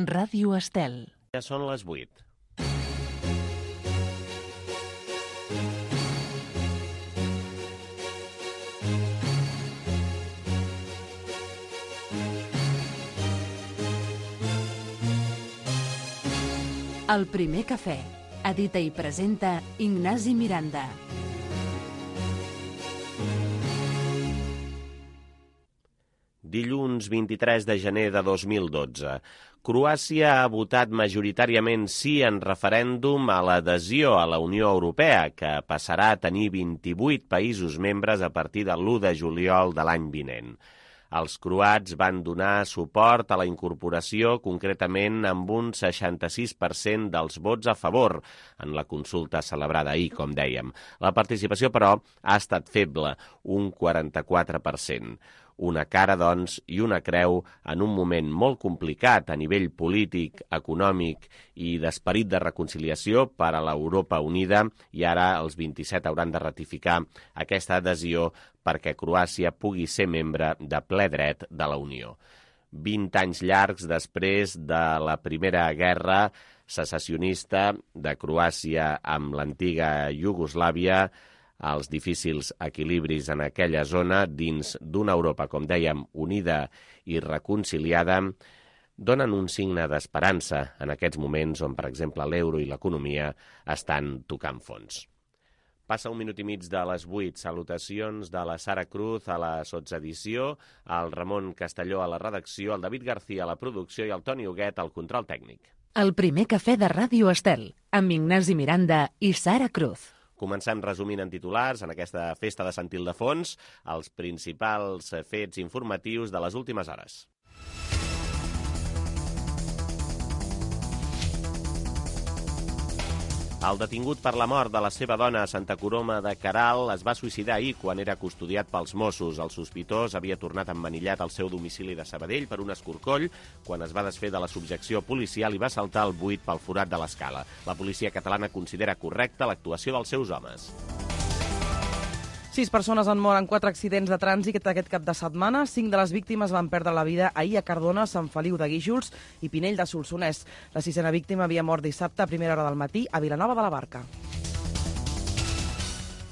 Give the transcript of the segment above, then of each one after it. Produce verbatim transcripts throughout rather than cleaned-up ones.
Ràdio Estel. Ja són les vuit. El primer cafè. Edita i presenta Ignasi Miranda. Dilluns vint-i-tres de gener de dos mil dotze. Croàcia ha votat majoritàriament sí en referèndum a l'adhesió a la Unió Europea, que passarà a tenir vint-i-vuit països membres a partir de l'u de juliol de l'any vinent. Els croats van donar suport a la incorporació, concretament amb un seixanta-sis per cent dels vots a favor en la consulta celebrada ahir, com dèiem. La participació, però, ha estat feble, un quaranta-quatre per cent. Una cara, doncs, i una creu en un moment molt complicat a nivell polític, econòmic i d'esperit de reconciliació per a l'Europa Unida, i ara els vint-i-set hauran de ratificar aquesta adhesió perquè Croàcia pugui ser membre de ple dret de la Unió. Vint anys llargs després de la Primera Guerra secessionista de Croàcia amb l'antiga Iugoslàvia, els difícils equilibris en aquella zona dins d'una Europa, com dèiem, unida i reconciliada, donen un signe d'esperança en aquests moments on, per exemple, l'euro i l'economia estan tocant fons. Passa un minut i mig de les vuit. Salutacions de la Sara Cruz a la sotsedició, el Ramon Castelló a la redacció, el David García a la producció i el Toni Huguet al control tècnic. El primer cafè de Ràdio Estel, amb Ignasi Miranda i Sara Cruz. Comencem resumint en titulars, en aquesta festa de Sant Ildefons, els principals fets informatius de les últimes hores. El detingut per la mort de la seva dona a Santa Coloma de Queralt es va suïcidar ahir quan era custodiat pels Mossos. El sospitós havia tornat emmanillat al seu domicili de Sabadell per un escorcoll quan es va desfer de la subjecció policial i va saltar el buit pel forat de l'escala. La policia catalana considera correcta l'actuació dels seus homes. Sis persones han mort en quatre accidents de trànsit aquest cap de setmana. Cinc de les víctimes van perdre la vida ahir a Cardona, Sant Feliu de Guíxols i Pinell de Solsonès. La sisena víctima havia mort dissabte a primera hora del matí a Vilanova de la Barca.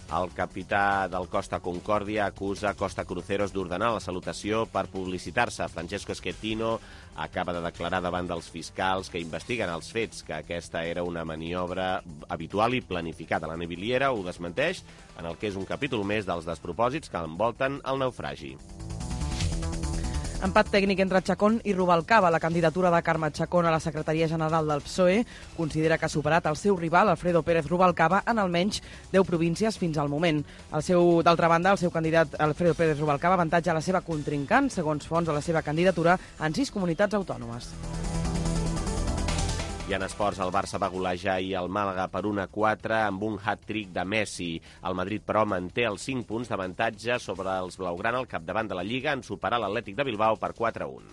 El capità del Costa Concòrdia acusa Costa Cruceros d'ordenar la salutació per publicitar-se. Francesco Schettino acaba de declarar davant dels fiscals que investiguen els fets que aquesta era una maniobra habitual i planificada. La Naviliera ho desmenteix en el que és un capítol més dels despropòsits que envolten el naufragi. Empat tècnic entre Chacón i Rubalcaba. La candidatura de Carme Chacón a la secretaria general del P S O E considera que ha superat el seu rival, Alfredo Pérez Rubalcaba, en almenys deu províncies fins al moment. El seu, d'altra banda, el seu candidat Alfredo Pérez Rubalcaba avantatja la seva contrincant, segons fonts de la seva candidatura, en sis comunitats autònomes. I en esports, el Barça va golejar ahir el Màlaga per un a quatre amb un hat-trick de Messi. El Madrid, però, manté els cinc punts d'avantatge sobre els blaugrana al capdavant de la Lliga en superar l'Atlètic de Bilbao per quatre a un.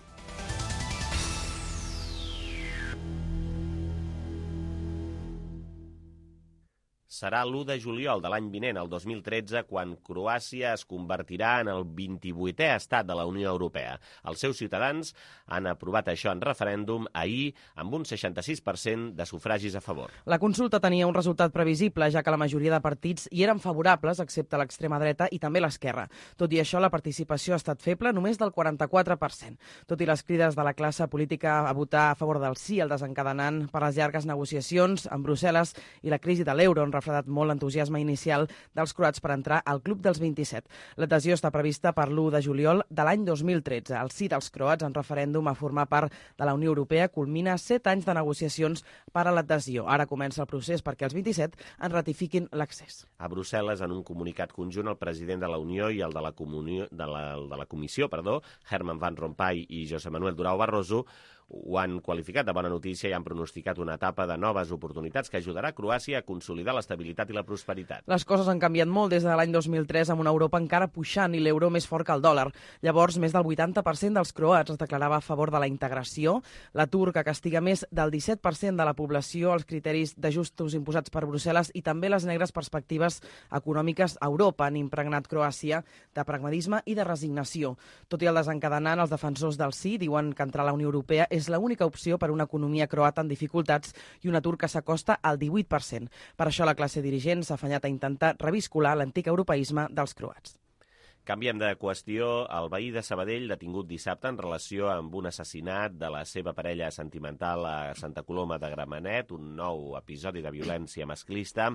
Serà l'u de juliol de l'any vinent, el dos mil tretze, quan Croàcia es convertirà en el vint-i-vuitè estat de la Unió Europea. Els seus ciutadans han aprovat això en referèndum ahir amb un seixanta-sis per cent de sufragis a favor. La consulta tenia un resultat previsible, ja que la majoria de partits hi eren favorables, excepte l'extrema dreta i també l'esquerra. Tot i això, la participació ha estat feble, només del quaranta-quatre per cent. Tot i les crides de la classe política a votar a favor del sí, el desencadenant per les llargues negociacions amb Brussel·les i la crisi de l'euro, en refredat molt l'entusiasme inicial dels croats per entrar al club dels vint-i-set. L'adhesió està prevista per l'u de juliol de l'any dos mil tretze. El sí dels croats en referèndum a formar part de la Unió Europea culmina set anys de negociacions per a l'adhesió. Ara comença el procés perquè els vint-i-set en ratifiquin l'accés. A Brussel·les, en un comunicat conjunt, el president de la Unió i el de la, comunió, de la, de la Comissió, perdó, Herman Van Rompuy i José Manuel Durão Barroso, ho han qualificat de bona notícia i han pronosticat una etapa de noves oportunitats que ajudarà a Croàcia a consolidar l'estabilitat i la prosperitat. Les coses han canviat molt des de l'any dos mil tres amb una Europa encara puixant i l'euro més fort que el dòlar. Llavors, més del vuitanta per cent dels croats es declarava a favor de la integració. L'atur, que castiga més del disset per cent de la població, els criteris d'ajustos imposats per Brussel·les i també les negres perspectives econòmiques a Europa han impregnat Croàcia de pragmatisme i de resignació. Tot i el desencadenant, els defensors del sí diuen que entrar a la Unió Europea és és l'única opció per a una economia croata en dificultats i un atur que s'acosta al divuit per cent. Per això la classe dirigent s'ha afanyat a intentar reviscolar l'antic europeisme dels croats. Canviem de qüestió. El veí de Sabadell, detingut dissabte en relació amb un assassinat de la seva parella sentimental a Santa Coloma de Gramenet, un nou episodi de violència masclista,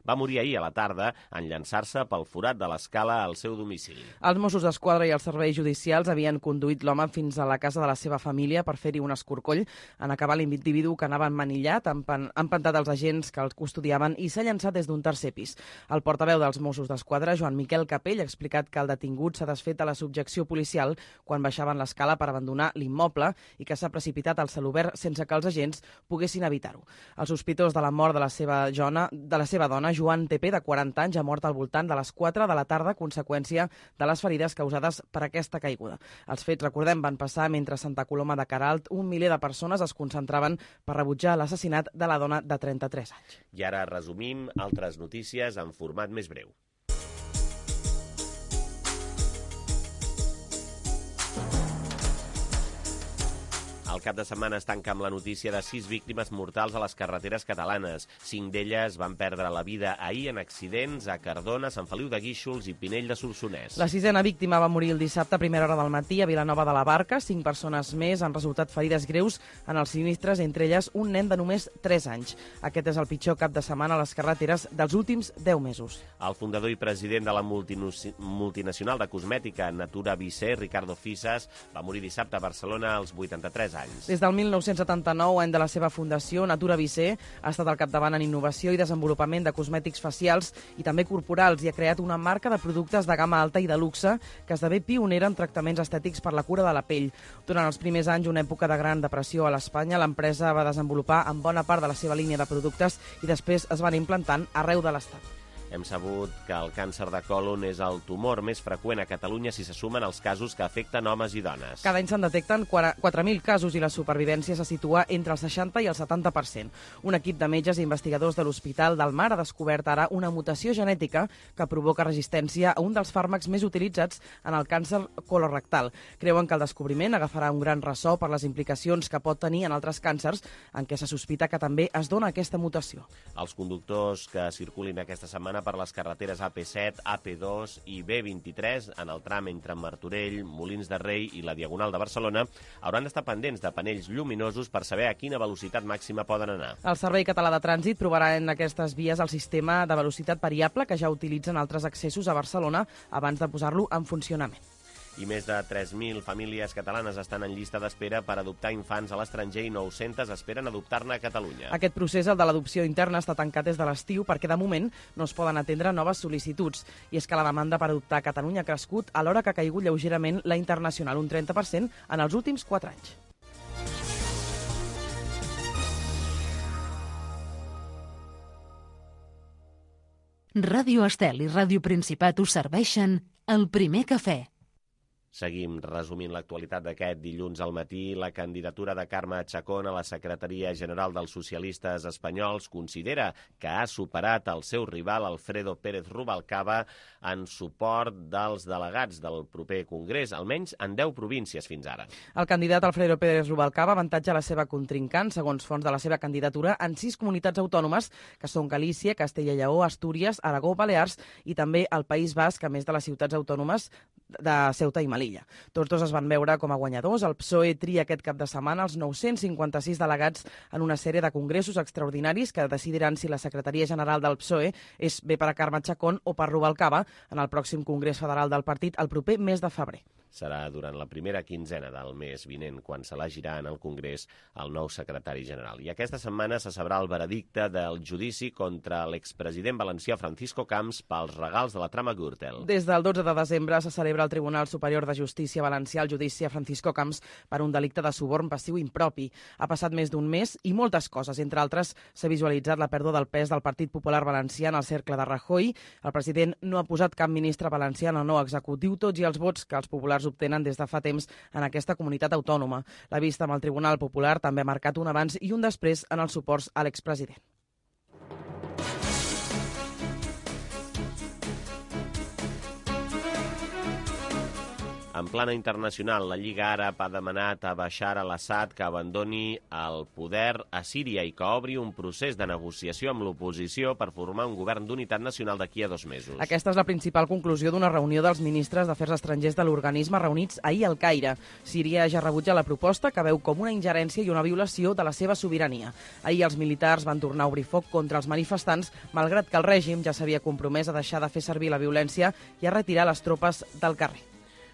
va morir ahir a la tarda en llançar-se pel forat de l'escala al seu domicili. Els Mossos d'Esquadra i els serveis judicials havien conduït l'home fins a la casa de la seva família per fer-hi un escorcoll. En acabar, l'individu que anava emmanillat, han empantat els agents que el custodiaven i s'ha llançat des d'un tercer pis. El portaveu dels Mossos d'Esquadra, Joan Miquel Capell, ha explicat que el detingut s'ha desfet a la subjecció policial quan baixaven l'escala per abandonar l'immoble i que s'ha precipitat al celobert sense que els agents poguessin evitar-ho. El sospitós de la mort de la seva, jona, de la seva dona, Joan Tepe, de quaranta anys, ha mort al voltant de les quatre de la tarda a conseqüència de les ferides causades per aquesta caiguda. Els fets, recordem, van passar mentre a Santa Coloma de Queralt un miler de persones es concentraven per rebutjar l'assassinat de la dona de trenta-tres anys. I ara resumim altres notícies en format més breu. El cap de setmana es tanca amb la notícia de sis víctimes mortals a les carreteres catalanes. Cinc d'elles van perdre la vida ahir en accidents a Cardona, Sant Feliu de Guíxols i Pinell de Solsonès. La sisena víctima va morir el dissabte a primera hora del matí a Vilanova de la Barca. Cinc persones més han resultat ferides greus en els sinistres, entre elles un nen de només tres anys. Aquest és el pitjor cap de setmana a les carreteres dels últims deu mesos. El fundador i president de la multinacional de cosmètica Natura Visé, Ricardo Fisas, va morir dissabte a Barcelona als vuitanta-tres anys. Des del mil nou-cents setanta-nou, any de la seva fundació, Natura Visé ha estat al capdavant en innovació i desenvolupament de cosmètics facials i també corporals i ha creat una marca de productes de gamma alta i de luxe que esdevé pionera en tractaments estètics per la cura de la pell. Durant els primers anys, una època de gran depressió a l'Espanya, l'empresa va desenvolupar en bona part de la seva línia de productes i després es van implantant arreu de l'Estat. Hem sabut que el càncer de còlon és el tumor més freqüent a Catalunya si se sumen els casos que afecten homes i dones. Cada any se'n detecten quatre mil casos i la supervivència se situa entre el seixanta i el setanta per cent. Un equip de metges i investigadors de l'Hospital del Mar ha descobert ara una mutació genètica que provoca resistència a un dels fàrmacs més utilitzats en el càncer colorectal. Creuen que el descobriment agafarà un gran ressò per les implicacions que pot tenir en altres càncers en què se sospita que també es dona aquesta mutació. Els conductors que circulin aquesta setmana per les carreteres A P set, A P dos i B vint-i-tres en el tram entre Martorell, Molins de Rei i la Diagonal de Barcelona hauran d'estar pendents de panells lluminosos per saber a quina velocitat màxima poden anar. El Servei Català de Trànsit provarà en aquestes vies el sistema de velocitat variable que ja utilitzen altres accessos a Barcelona abans de posar-lo en funcionament. I més de tres mil famílies catalanes estan en llista d'espera per adoptar infants a l'estranger i nou-centes esperen adoptar-ne a Catalunya. Aquest procés, el de l'adopció interna, està tancat des de l'estiu perquè de moment no es poden atendre noves sol·licituds. I és que la demanda per adoptar a Catalunya ha crescut alhora que ha caigut lleugerament la internacional, un trenta per cent en els últims quatre anys. Ràdio Estel i Ràdio Principat us serveixen el primer cafè. Seguim resumint l'actualitat d'aquest dilluns al matí. La candidatura de Carme Chacón a la Secretaria General dels Socialistes Espanyols considera que ha superat el seu rival Alfredo Pérez Rubalcaba en suport dels delegats del proper Congrés, almenys en deu províncies fins ara. El candidat Alfredo Pérez Rubalcaba avantatja la seva contrincant, segons fonts de la seva candidatura, en sis comunitats autònomes, que són Galícia, Castella i Lleó, Astúries, Aragó, Balears i també el País Basc, a més de les ciutats autònomes de Ceuta i Melilla. Tots dos es van veure com a guanyadors. El P S O E tria aquest cap de setmana els nou-cents cinquanta-sis delegats en una sèrie de congressos extraordinaris que decidiran si la secretaria general del P S O E és bé per a Carme Chacón o per Rubalcaba en el pròxim Congrés Federal del partit el proper mes de febrer. Serà durant la primera quinzena del mes vinent quan s'elegirà en el Congrés el nou secretari general. I aquesta setmana se sabrà el veredicte del judici contra l'expresident valencià Francisco Camps pels regals de la trama Gürtel. Des del dotze de desembre se celebra al Tribunal Superior de Justícia Valencià el judici a Francisco Camps per un delicte de suborn passiu impropi. Ha passat més d'un mes i moltes coses. Entre altres, s'ha visualitzat la pèrdua del pes del Partit Popular Valencià en el cercle de Rajoy. El president no ha posat cap ministre valencià en el nou executiu, tots i els vots que els populars obtenen des de fa temps en aquesta comunitat autònoma. La vista amb el Tribunal Popular també ha marcat un abans i un després en els suports a l'expresident. En plana internacional, la Lliga Àrab ha demanat a Bashar al-Assad que abandoni el poder a Síria i que obri un procés de negociació amb l'oposició per formar un govern d'unitat nacional d'aquí a dos mesos. Aquesta és la principal conclusió d'una reunió dels ministres d'Afers Estrangers de l'organisme reunits ahir al Caire. Síria ja rebutja la proposta que veu com una ingerència i una violació de la seva sobirania. Ahir els militars van tornar a obrir foc contra els manifestants, malgrat que el règim ja s'havia compromès a deixar de fer servir la violència i a retirar les tropes del carrer.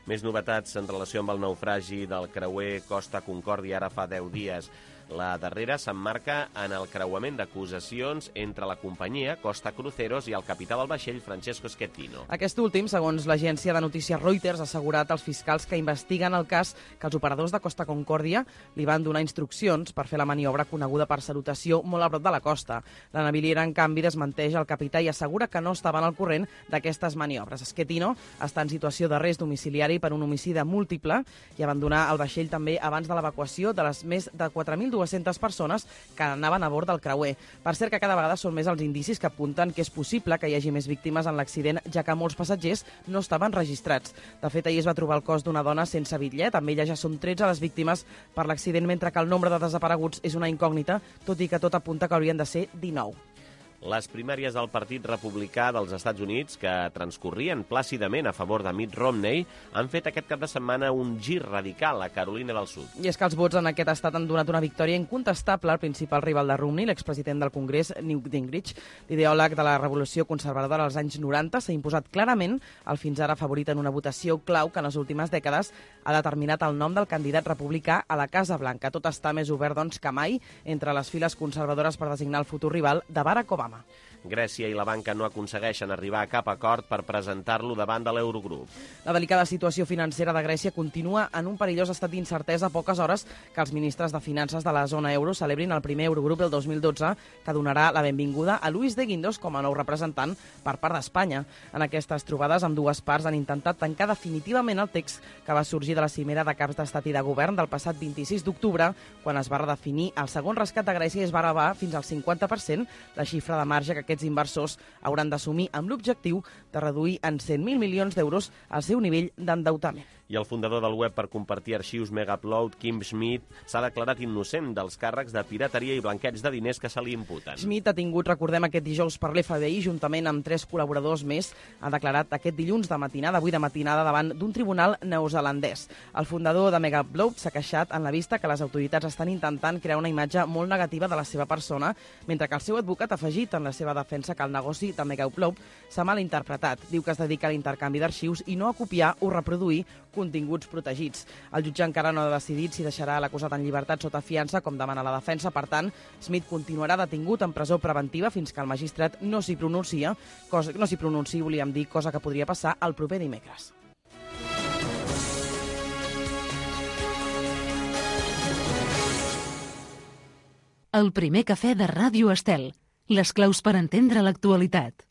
Més novetats en relació amb el naufragi del creuer Costa Concòrdia ara fa deu dies. La darrera s'emmarca en el creuament d'acusacions entre la companyia Costa Cruceros i el capità del vaixell Francesco Schettino. Aquest últim, segons l'agència de notícies Reuters, ha assegurat als fiscals que investiguen el cas que els operadors de Costa Concòrdia li van donar instruccions per fer la maniobra coneguda per salutació molt a prop de la costa. La naviliera, en canvi, desmenteix el capità i assegura que no estaven al corrent d'aquestes maniobres. Schettino està en situació d'arrest domiciliari per un homicidi múltiple i abandonar el vaixell també abans de l'evacuació de les més de quatre mil dues-centes persones que anaven a bord del creuer. Per cert que cada vegada són més els indicis que apunten que és possible que hi hagi més víctimes en l'accident, ja que molts passatgers no estaven registrats. De fet, ahir es va trobar el cos d'una dona sense bitllet. Amb ella ja són tretze les víctimes per l'accident, mentre que el nombre de desapareguts és una incògnita, tot i que tot apunta que haurien de ser dinou. Les primàries del Partit Republicà dels Estats Units, que transcorrien plàcidament a favor de Mitt Romney, han fet aquest cap de setmana un gir radical a Carolina del Sud. I és que els vots en aquest estat han donat una victòria incontestable al principal rival de Romney, l'expresident del Congrés, Newt Gingrich. L'ideòleg de la revolució conservadora als anys noranta s'ha imposat clarament el fins ara favorit en una votació clau que en les últimes dècades ha determinat el nom del candidat republicà a la Casa Blanca. Tot està més obert, doncs, que mai entre les files conservadores per designar el futur rival de Barack Obama. Grècia i la banca no aconsegueixen arribar a cap acord per presentar-lo davant de l'Eurogrup. La delicada situació financera de Grècia continua en un perillós estat d'incertesa a poques hores que els ministres de Finances de la zona euro celebrin el primer Eurogrup del dos mil dotze, que donarà la benvinguda a Luis de Guindos com a nou representant per part d'Espanya. En aquestes trobades, ambdues parts han intentat tancar definitivament el text que va sorgir de la cimera de caps d'estat i de govern del passat vint-i-sis d'octubre, quan es va redefinir el segon rescat de Grècia i es va elevar fins al cinquanta per cent la xifra de marge que aquests inversors hauran d'assumir amb l'objectiu de reduir en cent mil milions d'euros el seu nivell d'endeutament. I el fundador del web per compartir arxius Megaupload, Kim Schmidt, s'ha declarat innocent dels càrrecs de pirateria i blanqueig de diners que se li imputen. Schmidt ha tingut, recordem, aquest dijous per l'F B I, juntament amb tres col·laboradors més, ha declarat aquest dilluns de matinada, avui de matinada, davant d'un tribunal neozelandès. El fundador de Megaupload s'ha queixat en la vista que les autoritats estan intentant crear una imatge molt negativa de la seva persona, mentre que el seu advocat ha afegit en la seva defensa que el negoci de Megaupload s'ha malinterpretat. Diu que es dedica a l'intercanvi d'arxius i no a copiar o reproduir continguts protegits. El jutge encara no ha decidit si deixarà l'acusat en llibertat sota fiança, com demana la defensa. Per tant, Schmidt continuarà detingut en presó preventiva fins que el magistrat no s'hi pronuncia, cosa, no s'hi pronunciï, volíem dir, cosa que podria passar el proper dimecres. El primer cafè de Ràdio Estel. Les claus per entendre l'actualitat.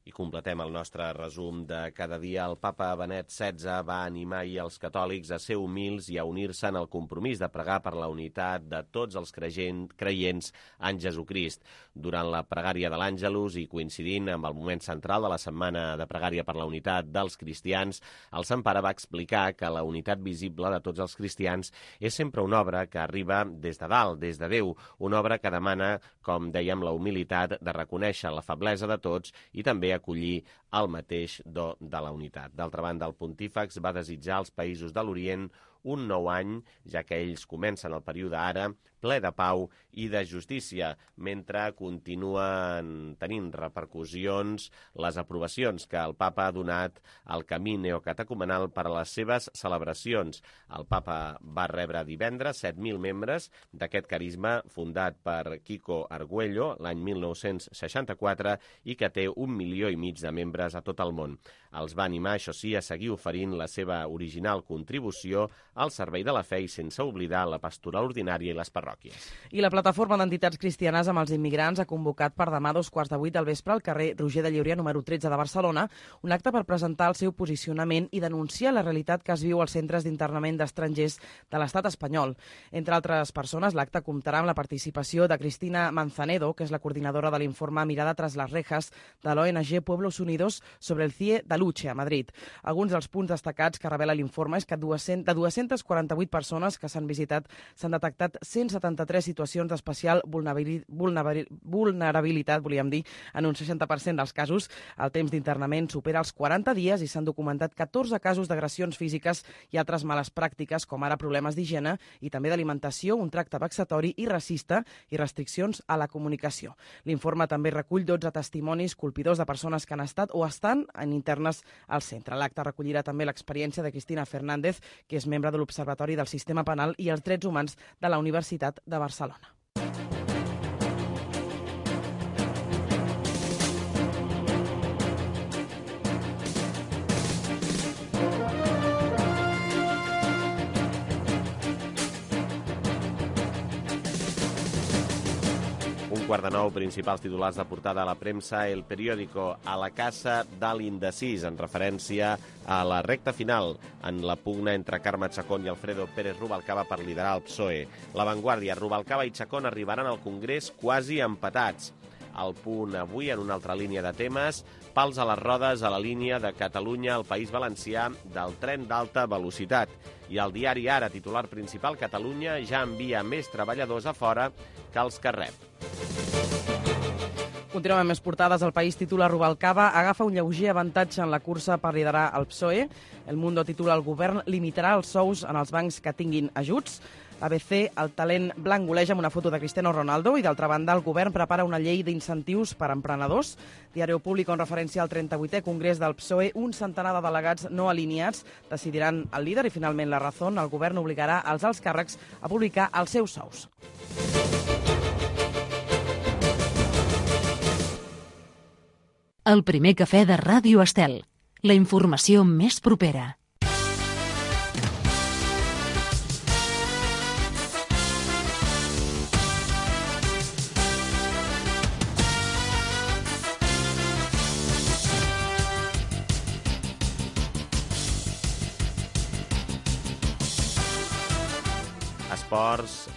I completem el nostre resum de cada dia. El papa Benet setze va animar ahir els catòlics a ser humils i a unir-se en el compromís de pregar per la unitat de tots els creients en Jesucrist. Durant la pregària de l'Àngelus i coincidint amb el moment central de la setmana de pregària per la unitat dels cristians, el Sant Pare va explicar que la unitat visible de tots els cristians és sempre una obra que arriba des de dalt, des de Déu, una obra que demana, com dèiem, la humilitat de reconèixer la feblesa de tots i també acollir el mateix do de la unitat. D'altra banda, el pontífex va desitjar als països de l'Orient un nou any, ja que ells comencen el període ara ple de pau i de justícia, mentre continuen tenint repercussions les aprovacions que el papa ha donat al camí neocatecumenal per a les seves celebracions. El papa va rebre divendres set mil membres d'aquest carisma fundat per Kiko Arguello l'any mil nou-cents seixanta-quatre i que té un milió i mig de membres a tot el món. Els va animar, això sí, a seguir oferint la seva original contribució al servei de la fe i sense oblidar la pastoral ordinària i les parròquies. I la plataforma d'entitats cristianes amb els immigrants ha convocat per demà a dos quarts de vuit del vespre al carrer Roger de Llauria número tretze de Barcelona un acte per presentar el seu posicionament i denunciar la realitat que es viu als centres d'internament d'estrangers de l'estat espanyol. Entre altres persones, l'acte comptarà amb la participació de Cristina Manzanedo, que és la coordinadora de l'informe Mirada tras las rejas de l'O N G Pueblos Unidos sobre el C I E de Luche, a Madrid. Alguns dels punts destacats que revela l'informe és que de dues-centes quaranta-vuit persones que s'han visitat s'han detectat cent setanta-tres situacions d'especial vulnerabilitat, volíem dir, en un seixanta per cent dels casos. El temps d'internament supera els quaranta dies i s'han documentat catorze casos d'agressions físiques i altres males pràctiques, com ara problemes d'higiene i també d'alimentació, un tracte vexatori i racista i restriccions a la comunicació. L'informe també recull dotze testimonis colpidors de persones que han estat o estan en internes al centre. L'acte recollirà també l'experiència de Cristina Fernández, que és membre de l'Observatori del Sistema Penal i els Drets Humans de la Universitat de Barcelona. Quart de nou, principals titulars de portada a la premsa, El Periódico, a la casa de l'indecís, en referència a la recta final en la pugna entre Carme Chacón i Alfredo Pérez Rubalcaba per liderar el P S O E. La Vanguardia, Rubalcaba i Chacón arribaran al Congrés quasi empatats. Al Punt avui, en una altra línia de temes, pals a les rodes a la línia de Catalunya al País Valencià del tren d'alta velocitat. I el diari Ara, titular principal, Catalunya ja envia més treballadors a fora que els que rep. Continuem amb més portades. El País titula Rubalcaba agafa un lleuger avantatge en la cursa per liderar el P S O E. El Mundo titula el govern limitarà els sous en els bancs que tinguin ajuts. A B C, el talent blanc goleja amb una foto de Cristiano Ronaldo i, d'altra banda, el govern prepara una llei d'incentius per a emprenedors. Diari Público, en referència al trenta-vuitè Congrés del P S O E, un centenar de delegats no alineats decidiran el líder i, finalment, la Razón. El govern obligarà els alts càrrecs a publicar els seus sous. El primer cafè de Ràdio Estel. La informació més propera. Esports,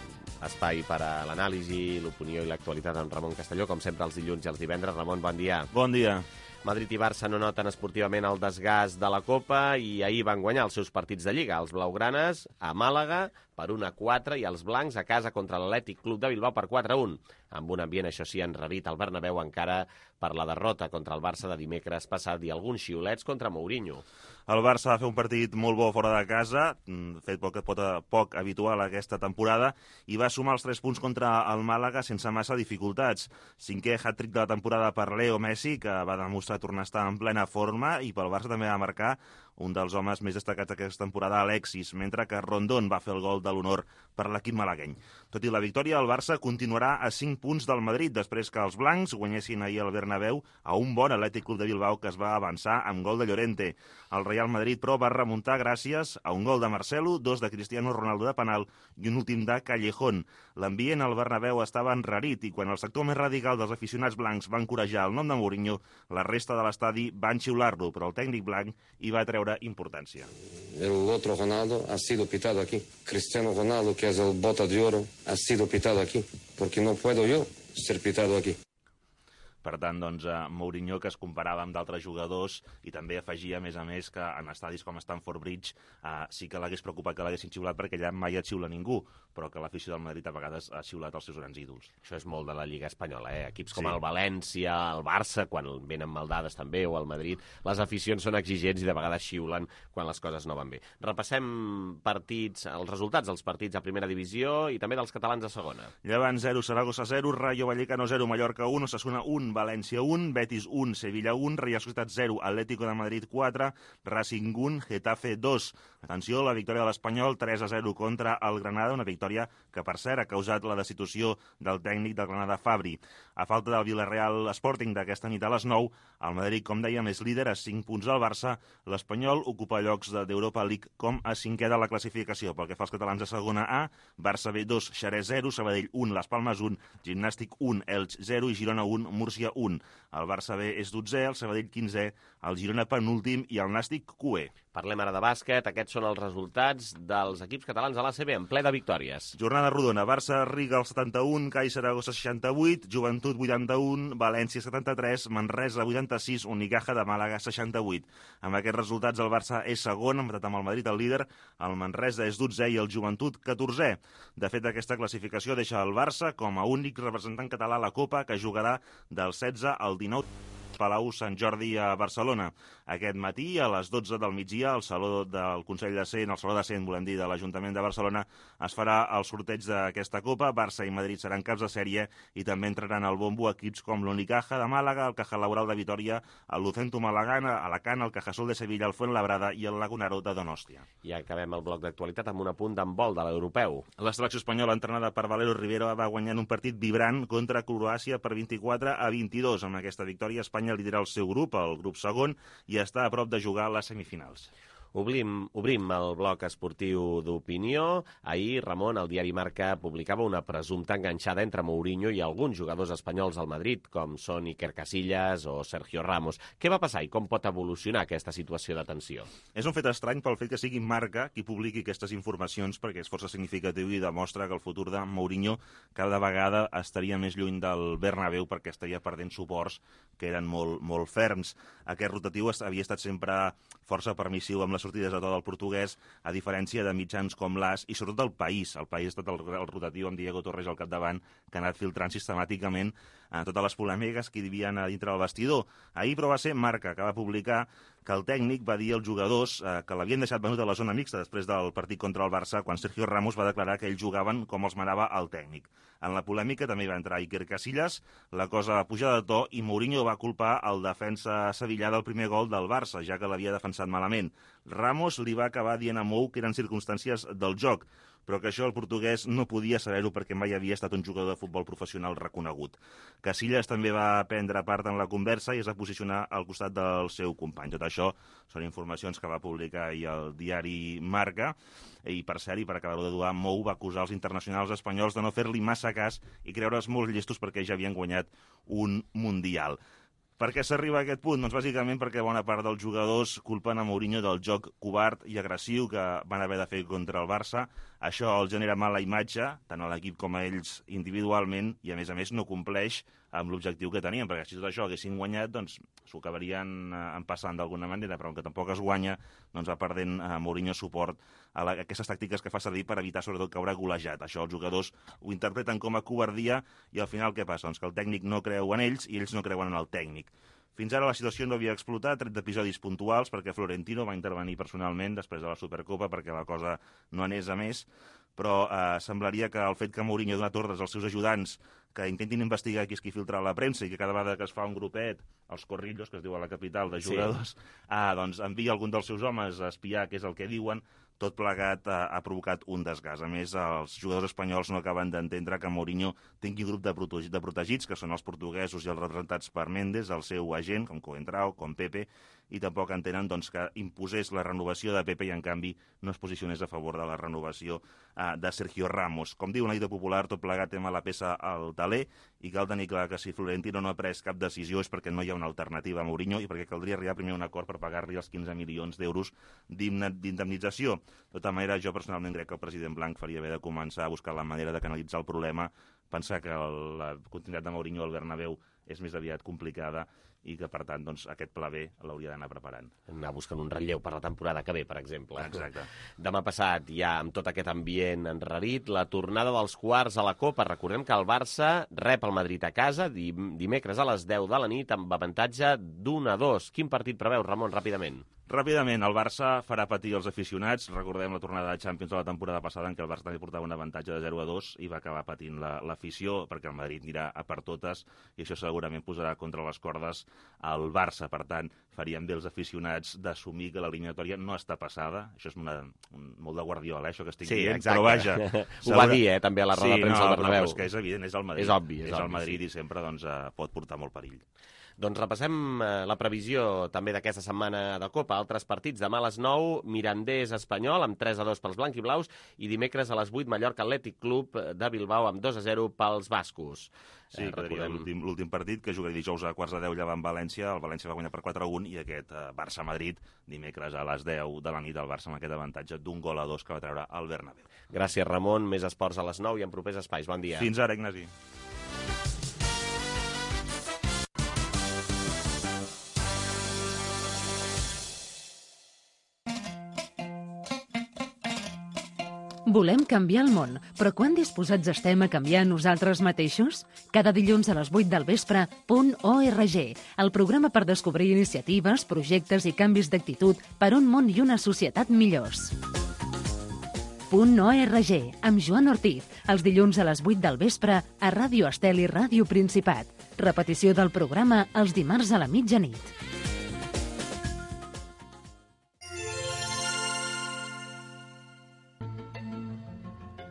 espai per a l'anàlisi, l'opinió i l'actualitat amb Ramon Castelló, com sempre els dilluns i els divendres. Ramon, bon dia. Bon dia. Madrid i Barça no noten esportivament el desgast de la Copa i ahir van guanyar els seus partits de Lliga. Els blaugranes a Màlaga per un a quatre i els blancs a casa contra l'Atlètic Club de Bilbao per quatre a un. Amb un ambient, això sí, enrarit al Bernabéu encara per la derrota contra el Barça de dimecres passat i alguns xiulets contra Mourinho. El Barça va fer un partit molt bo fora de casa, fet poc, poc, poc habitual aquesta temporada, i va sumar els tres punts contra el Màlaga sense massa dificultats. Cinquè hat-trick de la temporada per Leo Messi, que va demostrar tornar a estar en plena forma, i pel Barça també va marcar un dels homes més destacats d'aquesta temporada, Alexis, mentre que Rondón va fer el gol de l'honor per l'equip malagueny. Tot i la victòria, el Barça continuarà a cinc punts del Madrid, després que els blancs guanyessin ahir al Bernabéu a un bon Atlètic Club de Bilbao que es va avançar amb gol de Llorente. El Real Madrid, però, va remuntar gràcies a un gol de Marcelo, dos de Cristiano Ronaldo de penal i un últim de Callejón. L'ambient al Bernabéu estava enrarit i quan el sector més radical dels aficionats blancs va encorajar el nom de Mourinho, la resta de l'estadi van xiular-lo, però el tècnic blanc hi va treure importància. El otro Ronaldo ha sido pitado aquí. Cristiano Ronaldo, que es el bota de oro, ha sido pitado aquí, porque no puedo yo ser pitado aquí. Per tant, doncs, Mourinho, que es comparava amb d'altres jugadors i també afegia, a més a més, que en estadis com Stamford Bridge eh, sí que l'hagués preocupat que l'haguessin xiulat perquè allà mai et xiula ningú, però que l'afició del Madrid a vegades ha xiulat els seus grans ídols. Això és molt de la Lliga Espanyola, eh? Equips com Sí. el València, el Barça, quan venen maldades també, o el Madrid, les aficions són exigents i de vegades xiulen quan les coses no van bé. Repassem partits, els resultats dels partits a primera divisió i també dels catalans a segona. Llevant zero, Saragossa zero, Rayo Vallecano zero, Mallorca un, Osasuna un, un, València un, Betis un, Sevilla un, Real Societat zero, Atlético de Madrid quatre, Racing un, Getafe dos. Atenció, la victòria de l'Espanyol tres a zero contra el Granada, una victòria que, per cert, ha causat la destitució del tècnic del Granada, Fabri. A falta del Villarreal Sporting d'aquesta nit a les nou, el Madrid, com dèiem, és líder a cinc punts del Barça. L'Espanyol ocupa llocs d'Europa League com a cinquè de la classificació. Pel que fa als catalans a segona A, Barça B dos, Xerès zero, Sabadell un, Las Palmes un, Gimnàstic un, Elx zero i Girona un, Múrcia un. El Barça B és dotzè, el Sabadell quinzè, el Girona penúltim i el Nàstic cuè. Parlem ara de bàsquet. Aquests són els resultats dels equips catalans a l'A C B en ple de victòries. Jornada rodona. Barça Riga el setanta-un, CAI Saragossa seixanta-vuit, Joventut vuitanta-un, València setanta-tres, Manresa vuitanta-sis, Unicaja de Màlaga seixanta-vuit. Amb aquests resultats el Barça és segon, empatat amb el Madrid el líder, el Manresa és dotzè i el Joventut catorzè. De fet, aquesta classificació deixa el Barça com a únic representant català a la Copa, que jugarà del setze al dinou Palau Sant Jordi a Barcelona. Aquest matí, a les dotze del migdia, al Saló del Consell de Cent, al Saló de Cent, volem dir, de l'Ajuntament de Barcelona, es farà el sorteig d'aquesta Copa. Barça i Madrid seran caps de sèrie i també entraran al bombo equips com l'Unicaja de Màlaga, el Caja Laboral de Vitoria, el Lucentum Alacant, Alacant, el Cajasol de Sevilla, el Fuenlabrada i el Lagunaro de Donòstia. I acabem el bloc d'actualitat amb un apunt d'handbol de l'europeu. La selecció espanyola, entrenada per Valero Rivera, va guanyar un partit vibrant contra Croàcia per vint-i-quatre a vint-i-dos. Amb aquesta victòria, Espanya lidera el seu grup, el grup segon, i està a prop de jugar a les semifinals. Obrim, obrim el bloc esportiu d'opinió. Ahir, Ramon, el diari Marca publicava una presumpta enganxada entre Mourinho i alguns jugadors espanyols al Madrid, com són Iker Casillas o Sergio Ramos. Què va passar i com pot evolucionar aquesta situació de tensió? És un fet estrany pel fet que sigui Marca qui publiqui aquestes informacions, perquè és força significatiu i demostra que el futur de Mourinho cada vegada estaria més lluny del Bernabéu, perquè estaria perdent suports que eren molt, molt ferms. Aquest rotatiu havia estat sempre força permissiu amb les sortides de tot el portuguès, a diferència de mitjans com l'As i sobretot el País. El País ha estat el, el rotatiu amb Diego Torres al capdavant, que ha anat filtrant sistemàticament eh, totes les polèmiques que hi havia a dintre del vestidor. Ahir, però, va ser Marca que va publicar que el tècnic va dir als jugadors eh, que l'havien deixat venut a la zona mixta després del partit contra el Barça, quan Sergio Ramos va declarar que ells jugaven com els manava el tècnic. En la polèmica també va entrar Iker Casillas, la cosa va pujar de to i Mourinho va culpar el defensa sevillà del primer gol del Barça, ja que l'havia defensat malament. Ramos li va acabar dient a Mou que eren circumstàncies del joc, però que això el portuguès no podia saber-ho perquè mai havia estat un jugador de futbol professional reconegut. Casillas també va prendre part en la conversa i es va posicionar al costat del seu company. Tot això són informacions que va publicar ahir el diari Marca, i per cert, i per acabar-ho de dur, Mou va acusar els internacionals espanyols de no fer-li massa cas i creure's molt llestos perquè ja havien guanyat un Mundial. Per què s'arriba a aquest punt? Doncs bàsicament perquè bona part dels jugadors culpen a Mourinho del joc covard i agressiu que van haver de fer contra el Barça. Això els genera mala imatge, tant a l'equip com a ells individualment, i a més a més no compleix amb l'objectiu que tenien, perquè si tot això haguessin guanyat, doncs s'ho acabarien empassant d'alguna manera, però que tampoc es guanya, doncs va perdent a Mourinho suport a, la, a aquestes tàctiques que fa servir per evitar sobretot caure golejat. Això els jugadors ho interpreten com a covardia i al final què passa? Doncs que el tècnic no creu en ells i ells no creuen en el tècnic. Fins ara la situació no havia explotat, tret d'episodis puntuals, perquè Florentino va intervenir personalment després de la Supercopa perquè la cosa no anés a més, però eh, semblaria que el fet que Mourinho ha donat ordres als seus ajudants que intentin investigar qui és qui filtra la premsa i que cada vegada que es fa un grupet, els corrillos, que es diu a la capital, de jugadors, sí. ah, doncs envia algun dels seus homes a espiar què és el que diuen, tot plegat ha, ha provocat un desgast. A més, els jugadors espanyols no acaben d'entendre que Mourinho tingui grup de, protegits, de protegits, que són els portuguesos i els representats per Méndez, el seu agent, com Coentrao, com Pepe, i tampoc entenen doncs, que imposés la renovació de Pepe i, en canvi, no es posicionés a favor de la renovació eh, de Sergio Ramos. Com diu una dita popular, tot plegat té mala peça al taler, i cal tenir clar que si Florentino no ha pres cap decisió és perquè no hi ha una alternativa a Mourinho i perquè caldria arribar primer a un acord per pagar-li els quinze milions d'euros d'indemnització. De tota manera, jo personalment crec que el president Blanc faria bé de començar a buscar la manera de canalitzar el problema, pensar que el, la continuïtat de Mourinho al Bernabéu és més aviat complicada i que, per tant, doncs, aquest pla B l'hauria d'anar preparant. Anar buscant un relleu per la temporada que ve, per exemple. Exacte. Demà passat, ja amb tot aquest ambient enrarit, la tornada dels quarts a la Copa. Recordem que el Barça rep el Madrid a casa dimecres a les deu de la nit amb avantatge d'un a dos. Quin partit preveu, Ramon, ràpidament? Ràpidament, el Barça farà patir els aficionats. Recordem la tornada de Champions de la temporada passada en què el Barça també portava un avantatge de zero a dos i va acabar patint l'afició, la, perquè el Madrid anirà a per totes i això s'ha segurament posarà contra les cordes el Barça. Per tant, faríem bé els aficionats d'assumir que l'eliminatòria no està passada. Això és una, un, molt de Guardiola, eh, això que estic sí, dient, exacte. Però vaja... Ho va dir, eh, també a la roda sí, de premsa no, al Bernabéu. No, però és que és evident, és el Madrid. És obvi. És, és obvi, el Madrid sí. I sempre doncs, eh, pot portar molt perill. Doncs repassem eh, la previsió també d'aquesta setmana de Copa. Altres partits, demà a les nou, Mirandés Espanyol amb tres a dos pels blanc i blaus, i dimecres a les vuit, Mallorca Atlètic Club de Bilbao amb dos a zero pels bascos. Sí, eh, quedaria recordem... l'últim partit, que jugaria dijous a quarts de deu llevant València. El València va guanyar per quatre a un, i aquest eh, Barça-Madrid dimecres a les deu de la nit, el Barça amb aquest avantatge d'un gol a dos que va treure el Bernabéu. Gràcies, Ramon. Més esports a les nou i en propers espais. Bon dia. Fins ara, Ignasi. Volem canviar el món, però quan disposats estem a canviar nosaltres mateixos? Cada dilluns a les vuit del vespre, Punt org, el programa per descobrir iniciatives, projectes i canvis d'actitud per un món i una societat millors. Punt org, amb Joan Ortiz, els dilluns a les vuit del vespre a Ràdio Estel i Ràdio Principat. Repetició del programa els dimarts a la mitjanit.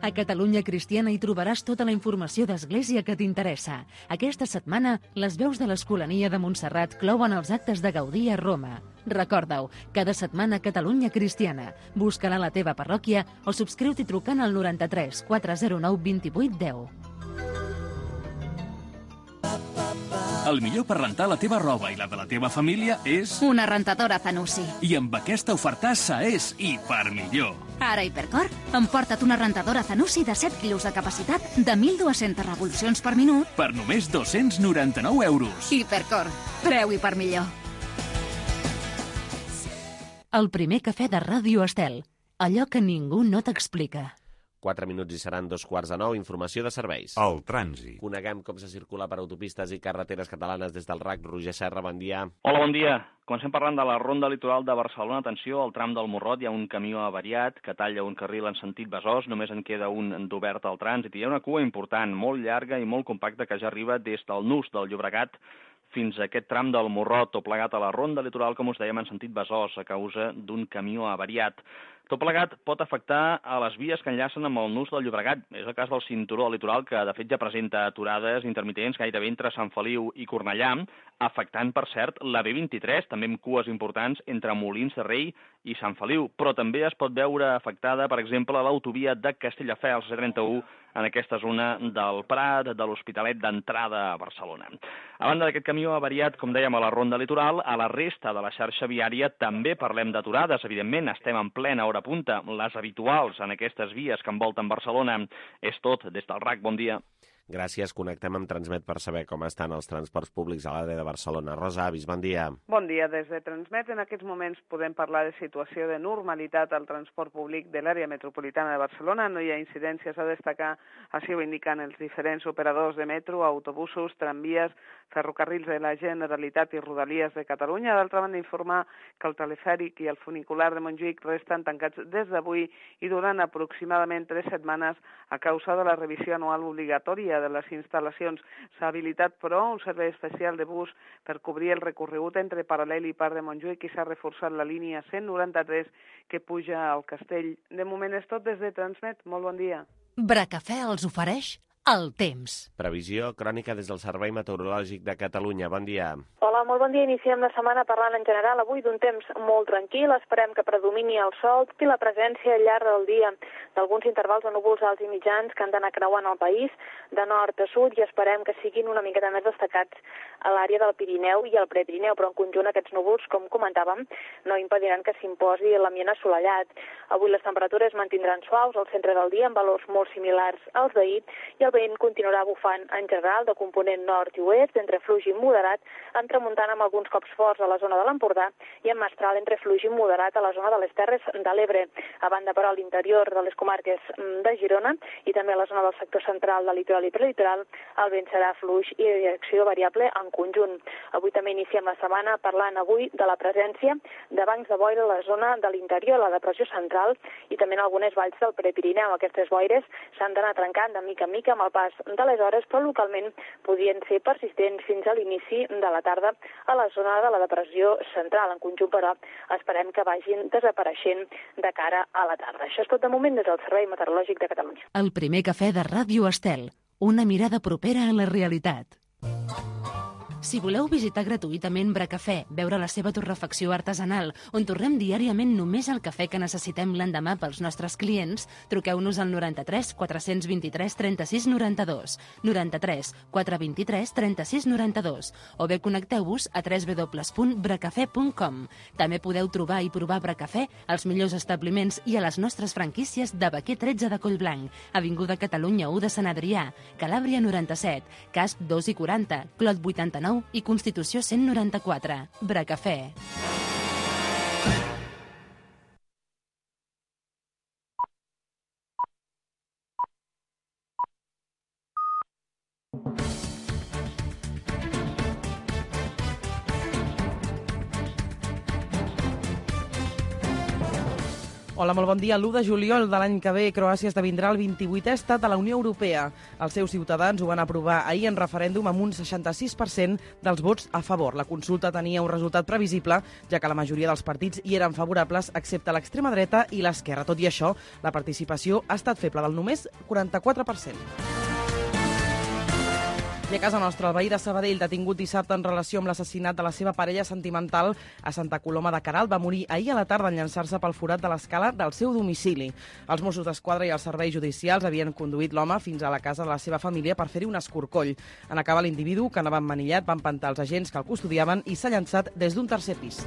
A Catalunya Cristiana hi trobaràs tota la informació d'Església que t'interessa. Aquesta setmana, les veus de l'Escolania de Montserrat clouen els actes de Gaudí a Roma. Recorda-ho, cada setmana a Catalunya Cristiana. Busca-la a la teva parròquia o subscriu-t'hi trucant al noranta-tres quatre zero nou vint-i-vuit deu. El millor per rentar la teva roba i la de la teva família és... Una rentadora Zanussi. I amb aquesta ofertassa és hiper millor. Ara Hipercor, emporta't una rentadora Zanussi de set quilos de capacitat de mil dues-centes revolucions per minut per només dos-cents noranta-nou euros. Hipercor, preu hiper millor. El primer cafè de Ràdio Estel. Allò que ningú no t'explica. Quatre minuts i seran dos quarts de nou. Informació de serveis. El trànsit. Coneguem com se circula per autopistes i carreteres catalanes des del R A C. Roger Serra, bon dia. Hola, bon dia. Comencem parlant de la ronda litoral de Barcelona. Atenció, al tram del Morrot hi ha un camió avariat que talla un carril en sentit Besòs. Només en queda un d'obert al trànsit. Hi ha una cua important, molt llarga i molt compacta, que ja arriba des del nus del Llobregat fins a aquest tram del Morrot, tot plegat a la ronda litoral, com us dèiem, en sentit Besòs, a causa d'un camió avariat. Tot plegat pot afectar a les vies que enllacen amb el nus del Llobregat. És el cas del cinturó litoral, que de fet ja presenta aturades intermitents gairebé entre Sant Feliu i Cornellà, afectant, per cert, la B vint-i-tres, també amb cues importants entre Molins de Rei i Sant Feliu. Però també es pot veure afectada, per exemple, l'autovia de Castelldefels, C trenta-u, en aquesta zona del Prat, de l'Hospitalet d'entrada a Barcelona. A banda d'aquest camió avariat, com dèiem, a la ronda litoral, a la resta de la xarxa viària també parlem d'aturades. Evidentment, estem en plena hora punta, les habituals en aquestes vies que envolten Barcelona. És tot des del R A C. Bon dia. Gràcies. Connectem amb Transmet per saber com estan els transports públics a l'àrea de Barcelona. Rosa Avis, bon dia. Bon dia. Des de Transmet en aquests moments podem parlar de situació de normalitat al transport públic de l'àrea metropolitana de Barcelona. No hi ha incidències a destacar, així ho indiquen els diferents operadors de metro, autobusos, tramvies, ferrocarrils de la Generalitat i Rodalies de Catalunya. D'altra banda, informar que el telefèric i el funicular de Montjuïc resten tancats des d'avui i durant aproximadament tres setmanes a causa de la revisió anual obligatòria de les instal·lacions. S'ha habilitat, però, un servei especial de bus per cobrir el recorregut entre Paral·lel i Parc de Montjuïc i s'ha reforçat la línia cent noranta-tres que puja al Castell. De moment és tot des de Transmet. Molt bon dia. Bracafè els ofereix el temps. Previsió crònica des del Servei Meteorològic de Catalunya. Bon dia. Hola, molt bon dia. Iniciem la setmana parlant en general avui d'un temps molt tranquil. Esperem que predomini el sol i la presència al llarg del dia d'alguns intervals de núvols alts i mitjans que han d'anar creuant el país de nord a sud i esperem que siguin una miqueta més destacats a l'àrea del Pirineu i el Prepirineu, però en conjunt aquests núvols, com comentàvem, no impediran que s'imposi l'ambient assolellat. Avui les temperatures mantindran suaus al centre del dia amb valors molt similars als d'ahir i el vent continuarà bufant en general de component nord i oest, entre fluix i moderat, amb tramuntana amb alguns cops forts a la zona de l'Empordà i amb mestral entre fluix i moderat a la zona de les Terres de l'Ebre. A banda, però, a l'interior de les comarques de Girona i també a la zona del sector central del litoral i prelitoral, el vent serà fluix i de direcció variable en conjunt. Avui també iniciem la setmana parlant avui de la presència de bancs de boira a la zona de l'interior, la depressió central i també en algunes valls del Prepirineu. Aquestes boires s'han d'anar trencant de mica en mica amb amb el pas de les hores, però localment podien ser persistents fins a l'inici de la tarda a la zona de la depressió central. En conjunt, però, esperem que vagin desapareixent de cara a la tarda. Això és tot de moment des del Servei Meteorològic de Catalunya. El primer cafè de Ràdio Estel, una mirada propera a la realitat. Si voleu visitar gratuïtament Bracafè, veure la seva torrefacció artesanal, on torrem diàriament només el cafè que necessitem l'endemà pels nostres clients, truqueu-nos al noranta-tres quatre vint-i-tres trenta-sis noranta-dos, noranta-tres quatre vint-i-tres trenta-sis noranta-dos, o bé connecteu-vos a w w w punt bracafè punt com. També podeu trobar i provar Bracafè als millors establiments i a les nostres franquícies de Baquer tretze de Collblanc, Avinguda Catalunya u de Sant Adrià, Calàbria noranta-set, Casp dos i quaranta, Clot vuitanta-nou i Constitució cent noranta-quatre. Bracafè. Hola, molt bon dia. l'u de juliol de l'any que ve, Croàcia esdevindrà el vint-i-vuitè estat de la Unió Europea. Els seus ciutadans ho van aprovar ahir en referèndum amb un seixanta-sis per cent dels vots a favor. La consulta tenia un resultat previsible, ja que la majoria dels partits hi eren favorables, excepte l'extrema dreta i l'esquerra. Tot i això, la participació ha estat feble, del només quaranta-quatre per cent. I a casa nostra, el veí de Sabadell, detingut dissabte en relació amb l'assassinat de la seva parella sentimental a Santa Coloma de Queralt, va morir ahir a la tarda en llançar-se pel forat de l'escala del seu domicili. Els Mossos d'Esquadra i els serveis judicials havien conduït l'home fins a la casa de la seva família per fer-hi un escorcoll. En acabar l'individu, que anava emmanillat, va empantar els agents que el custodiaven i s'ha llançat des d'un tercer pis.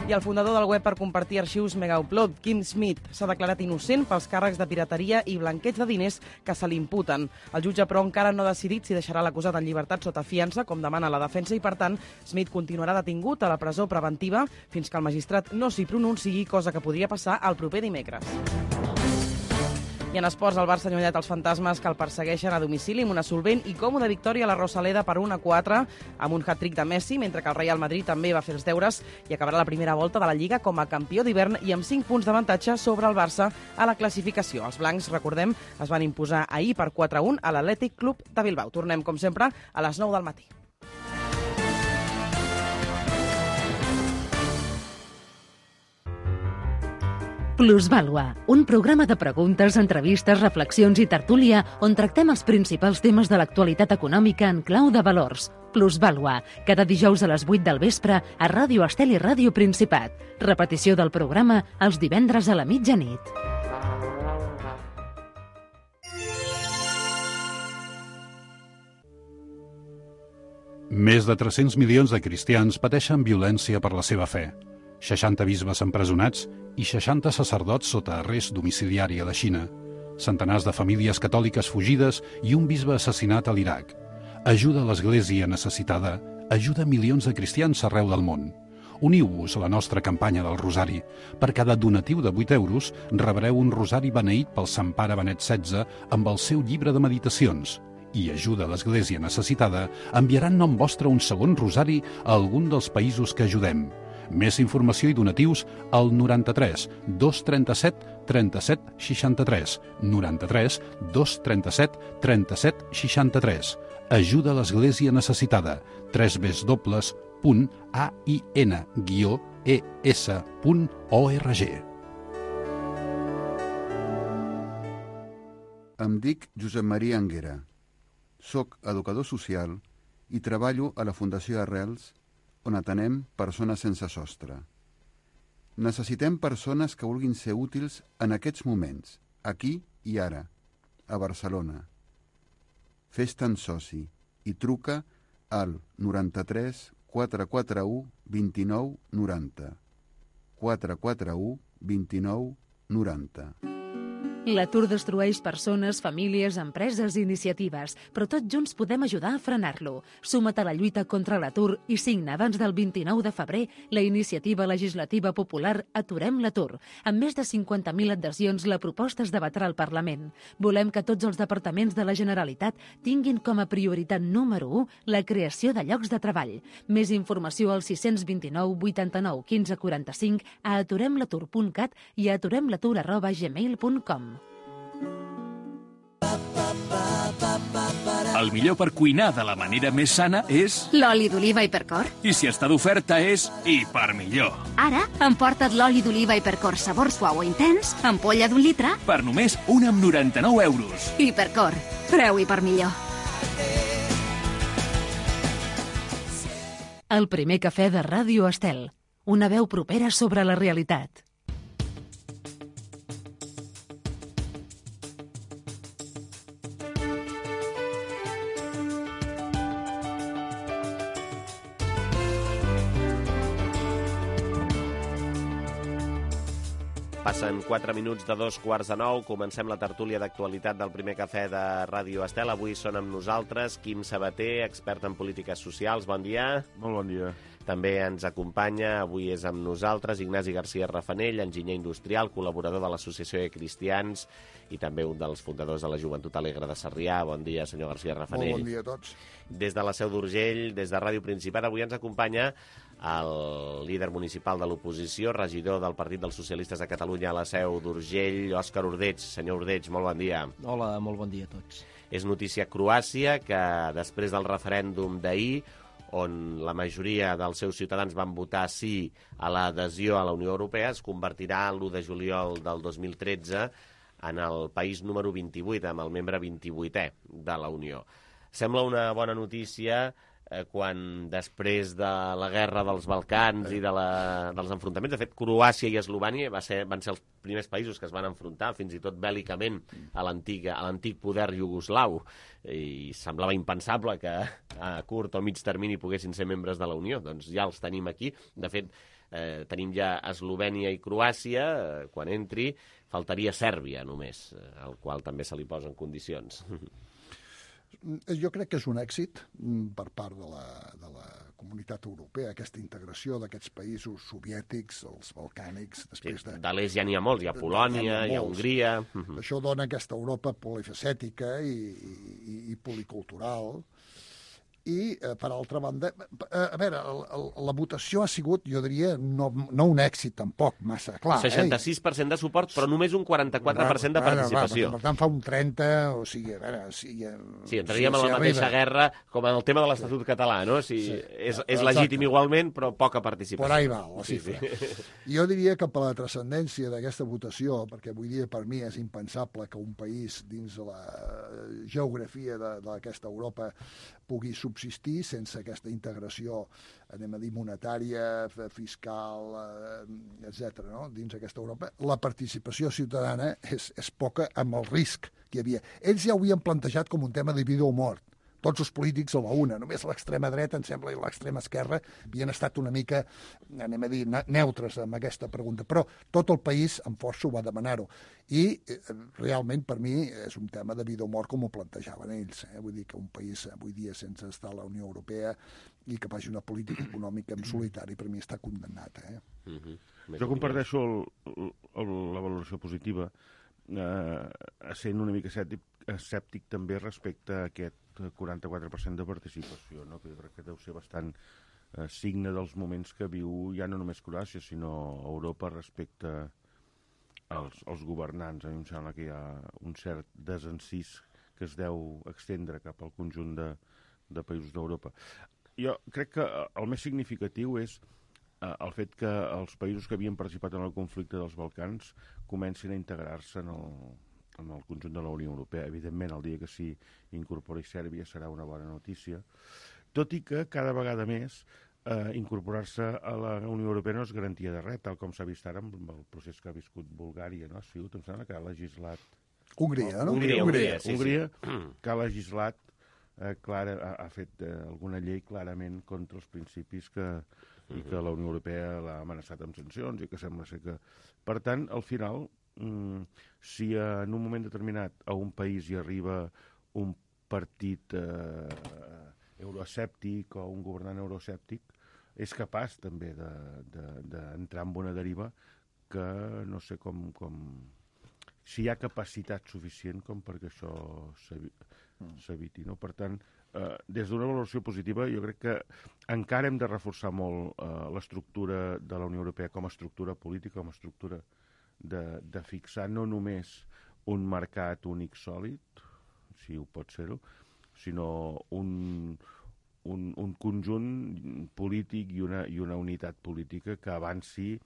I el fundador del web per compartir arxius Megaupload, Kim Smith, s'ha declarat innocent pels càrrecs de pirateria i blanqueig de diners que se li imputen. El jutge, però, encara no ha decidit si deixarà l'acusat en llibertat sota fiança, com demana la defensa, i, per tant, Smith continuarà detingut a la presó preventiva fins que el magistrat no s'hi pronunciï, cosa que podria passar el proper dimecres. I en esports, el Barça ha allunyat els fantasmes que el persegueixen a domicili amb una solvent i còmoda victòria a la Rosaleda per un a quatre amb un hat-trick de Messi, mentre que el Real Madrid també va fer els deures i acabarà la primera volta de la Lliga com a campió d'hivern i amb cinc punts d'avantatge sobre el Barça a la classificació. Els blancs, recordem, es van imposar ahir per quatre a un a l'Atlètic Club de Bilbao. Tornem, com sempre, a les nou del matí. Plusvàlua, un programa de preguntes, entrevistes, reflexions i tertúlia on tractem els principals temes de l'actualitat econòmica en clau de valors. Plusvàlua, cada dijous a les vuit del vespre a Ràdio Estel i Ràdio Principat. Repetició del programa els divendres a la mitjanit. Més de tres-cents milions de cristians pateixen violència per la seva fe. seixanta bisbes empresonats i seixanta sacerdots sota arrest domiciliari a la Xina, centenars de famílies catòliques fugides i un bisbe assassinat a l'Iraq. Ajuda a l'Església necessitada, ajuda milions de cristians arreu del món. Uniu-vos a la nostra campanya del Rosari. Per cada donatiu de vuit euros rebreu un rosari beneït pel Sant Pare Benet setze amb el seu llibre de meditacions. I ajuda a l'Església necessitada enviarà en nom vostre un segon rosari a algun dels països que ajudem. Més informació i donatius al noranta-tres dos trenta-set trenta-set seixanta-tres, noranta-tres dos trenta-set trenta-set seixanta-tres. Ajuda a l'Església necessitada. w w w punt a i n guió e s punt org. Em dic Josep Maria Anguera. Soc educador social i treballo a la Fundació Arrels, on atenem persones sense sostre. Necessitem persones que vulguin ser útils en aquests moments, aquí i ara, a Barcelona. Fes-te'n soci i truca al noranta-tres quatre quatre u vint-i-nou noranta. quatre quatre u vint-i-nou noranta. L'atur destrueix persones, famílies, empreses i iniciatives, però tots junts podem ajudar a frenar-lo. Suma't a la lluita contra l'atur i signa abans del vint-i-nou de febrer la iniciativa legislativa popular Aturem l'atur. Amb més de cinquanta mil adhesions, la proposta es debatrà al Parlament. Volem que tots els departaments de la Generalitat tinguin com a prioritat número u la creació de llocs de treball. Més informació al sis dos nou vuitanta-nou quinze quaranta-cinc, a aturemlatur punt cat i a aturemlatur arroba gmail punt com. El millor per cuinar de la manera més sana és... L'oli d'oliva Hipercor. I si està d'oferta és Hipermillor. Ara, emporta't l'oli d'oliva Hipercor sabor suau o intens, ampolla d'un litre... Per només un amb noranta-nou euros. Hipercor. Preu Hipermillor. El primer cafè de Ràdio Estel. Una veu propera sobre la realitat. Passen quatre minuts de dos quarts de nou. Comencem la tertúlia d'actualitat del primer cafè de Ràdio Estel. Avui són amb nosaltres Quim Sabater, expert en polítiques socials. Bon dia. Molt bon dia. També ens acompanya, avui és amb nosaltres, Ignasi García Rafanell, enginyer industrial, col·laborador de l'Associació de Cristians i també un dels fundadors de la Joventut Alegre de Sarrià. Bon dia, senyor García Rafanell. Molt bon dia a tots. Des de la Seu d'Urgell, des de Ràdio Principat, avui ens acompanya el líder municipal de l'oposició, regidor del Partit dels Socialistes de Catalunya a la Seu d'Urgell, Òscar Ordeig. Senyor Ordeig, molt bon dia. Hola, molt bon dia a tots. És notícia Croàcia que després del referèndum d'ahir, on la majoria dels seus ciutadans van votar sí a l'adhesió a la Unió Europea, es convertirà l'u de juliol del dos mil tretze en el país número vint-i-vuit, amb el membre vint-i-vuitè de la Unió. Sembla una bona notícia eh, quan després de la guerra dels Balcans i de la, dels enfrontaments, de fet, Croàcia i Eslovània va ser, van ser els primers països que es van enfrontar, fins i tot bèl·licament, a l'antic poder iugoslau, i semblava impensable que a curt o mig termini poguessin ser membres de la Unió. Doncs ja els tenim aquí. De fet, eh, tenim ja Eslovènia i Croàcia. Eh, quan entri, faltaria Sèrbia només, eh, al qual també se li posen condicions. Jo crec que és un èxit per part de la, de la comunitat europea, aquesta integració d'aquests països soviètics, els balcànics... Després de, de l'est ja n'hi ha molts, hi ha Polònia, hi ha Hongria... Això dona aquesta Europa polifacètica i, i, i policultural. I, eh, per altra banda, eh, a veure, el, el, la votació ha sigut, jo diria, no, no un èxit tampoc massa clar. seixanta-sis per cent eh? de suport, però només un quaranta-quatre per cent de participació. Va, per tant, fa un trenta, o sigui, a veure... Si, sí, entraríem si, en la si mateixa arriba. guerra com en el tema de l'Estatut català, no? Si sí. És, és legítim igualment, però poca participació. Por ahí va, la xifra. Sí, sí. Jo diria que per la transcendència d'aquesta votació, perquè avui dia per mi és impensable que un país dins de la geografia d'aquesta Europa pugui subsistir sense aquesta integració, anem a dir, monetària, fiscal, eh, etcètera, no? Dins aquesta Europa. La participació ciutadana és, és poca amb el risc que hi havia. Ells ja ho havien plantejat com un tema de vida o mort. Tots els polítics a la una. Només l'extrema dreta, em sembla, i l'extrema esquerra havien estat una mica, anem a dir, neutres amb aquesta pregunta. Però tot el país, amb força, ho va demanar-ho. I eh, realment, per mi, és un tema de vida o mort com ho plantejaven ells. Eh? Vull dir que un país avui dia sense estar a la Unió Europea i que faci una política econòmica en solitari, per mi està condemnat. Eh? Uh-huh. Jo comparteixo el, el, la valoració positiva, eh, sent una mica escèptic, escèptic també respecte a aquest quaranta-quatre per cent de participació, no? Que jo crec que deu ser bastant eh, signe dels moments que viu ja no només Croàcia, sinó Europa respecte als, als governants. A mi em sembla que hi ha un cert desencís que es deu extendre cap al conjunt de, de països d'Europa. Jo crec que el més significatiu és eh, el fet que els països que havien participat en el conflicte dels Balcans comencin a integrar-se en el en el conjunt de la Unió Europea. Evidentment, el dia que s'hi incorpori Sèrbia serà una bona notícia, tot i que cada vegada més eh, incorporar-se a la Unió Europea no és garantia de res, tal com s'ha vist ara amb el procés que ha viscut Bulgària, no? Ha sigut, em sembla que ha legislat... Hongria, no? Hongria, Hongria, sí, Hongria sí. que ha legislat, eh, clara, ha, ha fet eh, alguna llei clarament contra els principis que, i que la Unió Europea l'ha amenaçat amb sancions i que sembla ser que... Per tant, al final... Mm, si en un moment determinat a un país hi arriba un partit eh, euroescèptic o un governant euroescèptic, és capaç també d'entrar en una deriva que no sé com, com... si hi ha capacitat suficient com perquè això s'eviti, no? Per tant, eh, des d'una valoració positiva, jo crec que encara hem de reforçar molt eh, l'estructura de la Unió Europea com a estructura política, com a estructura De, de fixar no només un mercat únic sòlid, si ho pot ser-ho, sinó un, un, un conjunt polític i una, i una unitat política que avanci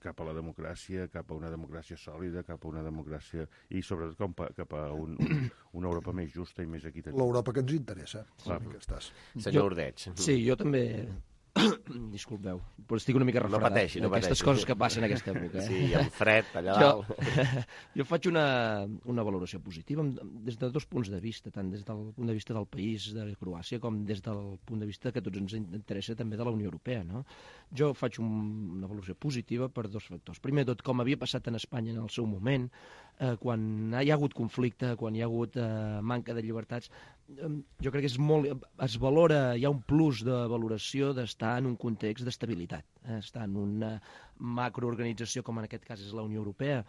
cap a la democràcia, cap a una democràcia sòlida, cap a una democràcia... i sobretot cap a, cap a un, un, una Europa més justa i més equitativa. L'Europa que ens interessa. Clar. Que estàs. Senyor Ordeig. Sí, jo també... Disculpeu, però estic una mica refredat. No pateixi, no pateixi. Aquestes coses que passen en aquesta època. Eh? Sí, hi ha un fred allà dalt. Jo, jo faig una, una valoració positiva des de dos punts de vista, tant des del punt de vista del país, de Croàcia, com des del punt de vista que a tots ens interessa també de la Unió Europea. No? Jo faig un, una valoració positiva per dos factors. Primer tot, com havia passat en Espanya en el seu moment, eh, quan hi ha hagut conflicte, quan hi ha hagut eh, manca de llibertats, jo crec que és molt, es valora, hi ha un plus de valoració d'estar en un context d'estabilitat, eh? Estar en una macroorganització com en aquest cas és la Unió Europea,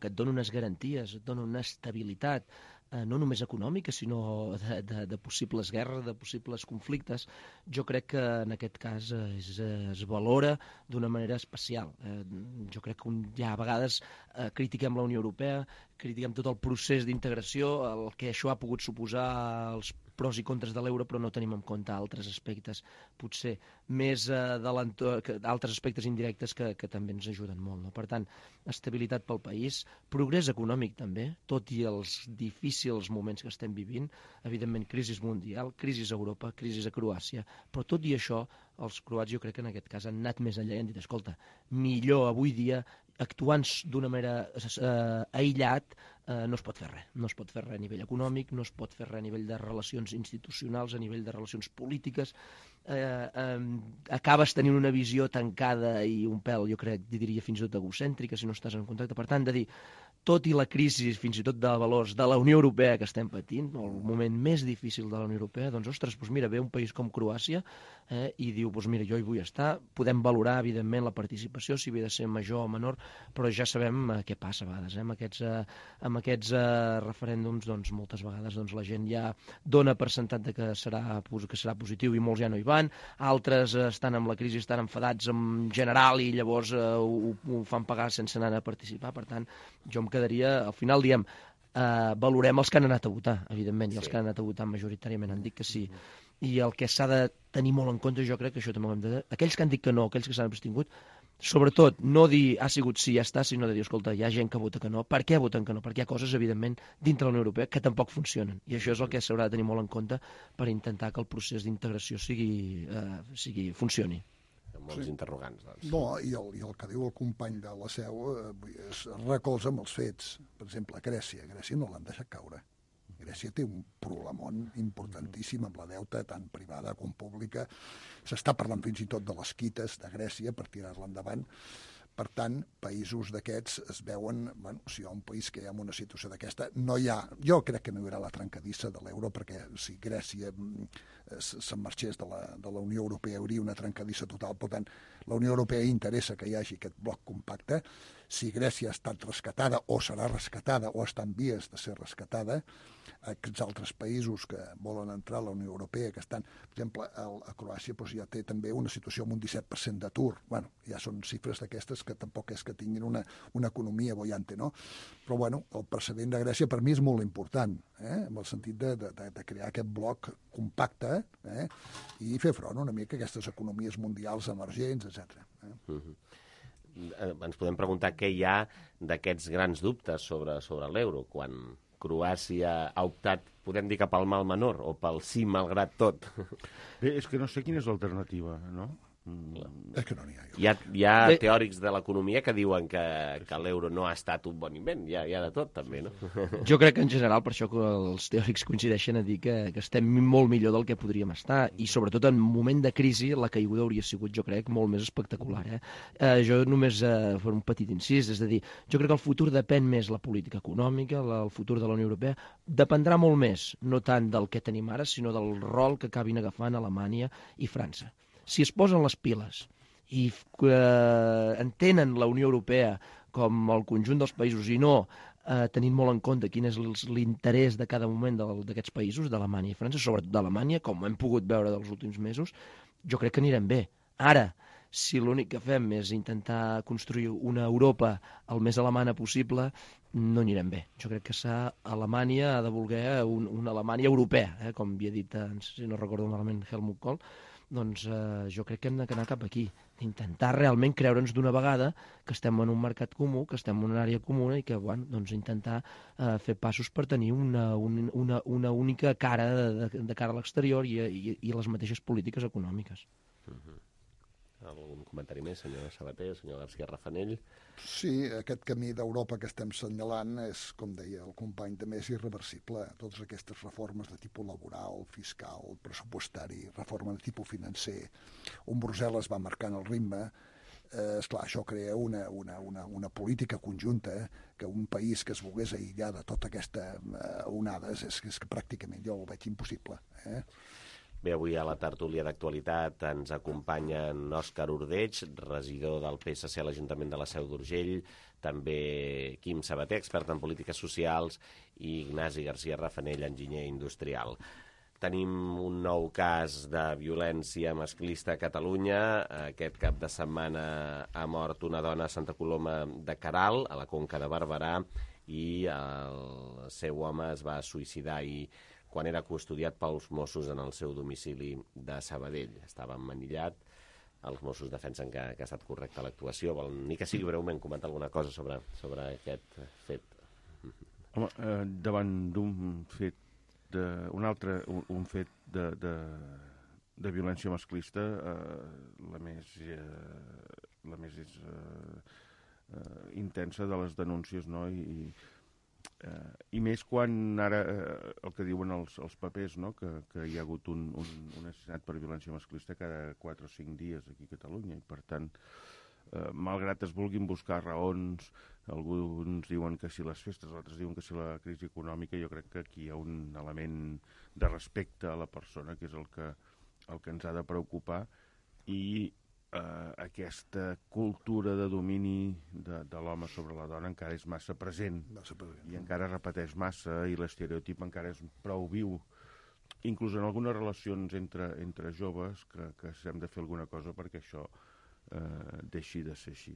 que et dona unes garanties, et dona una estabilitat, eh, no només econòmica, sinó de, de, de possibles guerres, de possibles conflictes. Jo crec que en aquest cas es, es valora d'una manera especial. Eh, jo crec que un, ja a vegades eh, critiquem la Unió Europea, critiquem tot el procés d'integració, el que això ha pogut suposar els pros i contres de l'euro, però no tenim en compte altres aspectes, potser més eh, de l'entorn, altres aspectes indirectes que, que també ens ajuden molt. No? Per tant, estabilitat pel país, progrés econòmic també, tot i els difícils moments que estem vivint, evidentment crisi mundial, crisi a Europa, crisi a Croàcia, però tot i això, els croats jo crec que en aquest cas han anat més enllà i han dit, escolta, millor avui dia, actuant d'una manera eh, aïllat, eh, no es pot fer res. No es pot fer res a nivell econòmic, no es pot fer res a nivell de relacions institucionals, a nivell de relacions polítiques. Eh, eh, acabes tenint una visió tancada i un pèl, jo crec, diria fins i tot egocèntrica, si no estàs en contacte. Per tant, de dir, tot i la crisi, fins i tot de valors de la Unió Europea que estem patint, el moment més difícil de la Unió Europea, doncs, ostres, doncs mira, ve un país com Croàcia eh, i diu, doncs mira, jo hi vull estar, podem valorar, evidentment, la participació, si havia de ser major o menor, però ja sabem eh, què passa a vegades. Eh? Amb aquests, eh, amb aquests eh, referèndums, doncs, moltes vegades doncs, la gent ja dona per sentat de que serà, que serà positiu i molts ja no hi van, altres eh, estan amb la crisi, estan enfadats en general i llavors eh, ho, ho fan pagar sense anar a participar. Per tant, jo em quedaria, al final diem, eh, valorem els que han anat a votar, evidentment, i els sí. que han anat a votar majoritàriament han dit que sí. I el que s'ha de tenir molt en compte, jo crec que això també ho hem de dir, aquells que han dit que no, aquells que s'han abstingut, sobretot no dir ha sigut sí, ja està, sinó de dir, escolta, hi ha gent que vota que no, per què voten que no? Perquè hi ha coses, evidentment, dintre de la Unió Europea que tampoc funcionen. I això és el que s'haurà de tenir molt en compte per intentar que el procés d'integració sigui, eh, sigui, funcioni. Molts sí. interrogants. Doncs. No, i el, i el que diu el company de la Seu eh, es recolza amb els fets. Per exemple, Grècia. Grècia no l'han deixat caure. Grècia té un problemon importantíssim amb la deuta, tant privada com pública. S'està parlant fins i tot de les quites de Grècia per tirar-la endavant. Per tant, països d'aquests es veuen, bueno, si hi ha un país que hi ha una situació d'aquesta, no hi ha, jo crec que no hi haurà la trencadissa de l'euro, perquè si Grècia se'n marxés de la, de la Unió Europea hi hauria una trencadissa total. Per tant, la Unió Europea interessa que hi hagi aquest bloc compacte. Si Grècia ha estat rescatada o serà rescatada o està en vies de ser rescatada, aquests altres països que volen entrar a la Unió Europea, que estan, per exemple, a Croàcia doncs ja té també una situació amb un disset per cent d'atur. Bueno, ja són xifres d'aquestes que tampoc és que tinguin una, una economia bollante, no? Però, bueno, el precedent de Grècia per mi és molt important, eh? En el sentit de, de, de crear aquest bloc compacte eh? I fer front una mica a aquestes economies mundials emergents, etcètera. Eh? Uh-huh. Ens podem preguntar què hi ha d'aquests grans dubtes sobre, sobre l'euro, quan Croàcia ha optat, podem dir, cap al mal menor, o pel sí malgrat tot. Bé, és que no sé quina és l'alternativa, no? Mm. És que no n'hi ha. Hi ha, hi ha Bé. teòrics de l'economia que diuen que, que l'euro no ha estat un bon invent. Hi ha, hi ha de tot, també, no? Jo crec que en general, per això que els teòrics coincideixen a dir que, que estem molt millor del que podríem estar, i sobretot en un moment de crisi la caiguda hauria sigut, jo crec, molt més espectacular. Eh? Eh, jo només eh, fer un petit incís, és a dir, jo crec que el futur depèn més la política econòmica, la, el futur de la Unió Europea, dependrà molt més, no tant del que tenim ara, sinó del rol que acabin agafant Alemanya i França. Si es posen les piles i eh, entenen la Unió Europea com el conjunt dels països i no eh, tenint molt en compte quin és l'interès de cada moment d'aquests països, d'Alemanya i França, sobretot d'Alemanya, com hem pogut veure dels últims mesos, jo crec que anirem bé. Ara, si l'únic que fem és intentar construir una Europa el més alemana possible, no anirem bé. Jo crec que s'ha, Alemanya ha de voler un, una Alemanya europea, eh, com havia dit, si no recordo malament, Helmut Kohl. Doncs eh, jo crec que hem d'anar cap aquí, d'intentar realment creure'ns d'una vegada que estem en un mercat comú, que estem en una àrea comuna i que, bueno, doncs intentar eh, fer passos per tenir una, una, una única cara de, de, de cara a l'exterior i, i, i les mateixes polítiques econòmiques. Uh-huh. Algun comentari més, senyor Sabater, senyor García Rafanell? Sí, aquest camí d'Europa que estem senyalant és, com deia el company, també és irreversible. Totes aquestes reformes de tipus laboral, fiscal, pressupostari, reforma de tipus financer, on Brussel·les va marcant el ritme, eh, esclar, això crea una, una, una, una política conjunta que un país que es volgués aïllar de tota aquesta eh, onades és, és que pràcticament jo ho veig impossible. Eh? Bé, avui a la tertúlia d'actualitat ens acompanyen Òscar Ordeig, regidor del P S C a l'Ajuntament de la Seu d'Urgell, també Quim Sabater, expert en polítiques socials, i Ignasi García Rafanell, enginyer industrial. Tenim un nou cas de violència masclista a Catalunya. Aquest cap de setmana ha mort una dona a Santa Coloma de Queralt, a la Conca de Barberà, i el seu home es va suïcidar ahir quan era custodiat pels Mossos en el seu domicili de Sabadell. Estava emmanillat. Els Mossos defensen que, que ha estat correcta l'actuació. Volen, ni que sigui breument, comentar alguna cosa sobre, sobre aquest fet. Home, eh, davant d'un fet, de, un altre, un, un fet de, de, de violència masclista, eh, la més, eh, la més eh, eh, intensa de les denúncies, no? I, Uh, i més quan ara uh, el que diuen els, els papers, no? que, que hi ha hagut un, un, un assassinat per violència masclista cada quatre o cinc dies aquí a Catalunya, i per tant uh, malgrat es vulguin buscar raons, alguns diuen que si les festes, altres diuen que si la crisi econòmica, jo crec que aquí hi ha un element de respecte a la persona que és el que, el que ens ha de preocupar, i Uh, aquesta cultura de domini de, de l'home sobre la dona encara és massa present, massa present. i encara repeteix massa, i l'estereotip encara és prou viu, inclús en algunes relacions entre, entre joves, que, que hem de fer alguna cosa perquè això uh, deixi de ser així.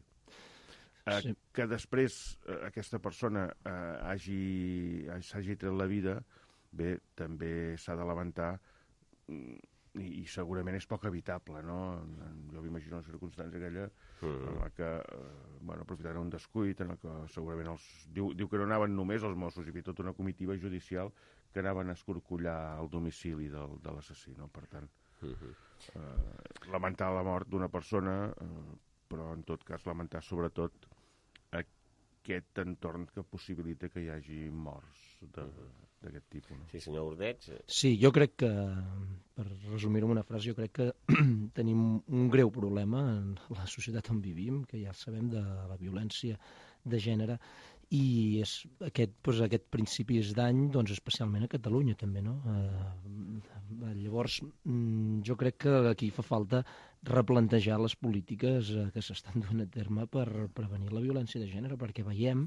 Uh, sí. Que després uh, aquesta persona uh, hagi, s'hagi tret la vida, bé, també s'ha de lamentar, um, I, i segurament és poc evitable, no? Jo m'imagino una circumstància aquella mm. en la que, eh, bueno, aprofitaran un descuit, en la que segurament els... Diu, diu que no anaven només els Mossos, hi havia tota una comitiva judicial que anaven a escorcollar el domicili del, de l'assassí, no? Per tant, mm-hmm. eh, lamentar la mort d'una persona, eh, però en tot cas lamentar sobretot aquest entorn que possibilita que hi hagi morts de... Mm-hmm. d'aquest tipus. No? Sí, senyor Ordeig. Sí, jo crec que, per resumir-ho en una frase, jo crec que tenim un greu problema en la societat on vivim, que ja sabem, de la violència de gènere, i és aquest, doncs, aquest principis d'any, doncs, especialment a Catalunya també, no? Eh, llavors, jo crec que aquí fa falta replantejar les polítiques que s'estan duent a terme per prevenir la violència de gènere, perquè veiem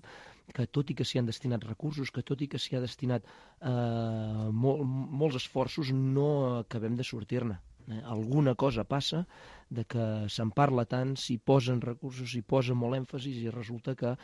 que tot i que s'hi han destinat recursos, que tot i que s'hi ha destinat eh, mol, molts esforços, no acabem de sortir-ne. Eh? Alguna cosa passa de que se'n parla tant, s'hi posen recursos, s'hi posa molt èmfasis, i resulta que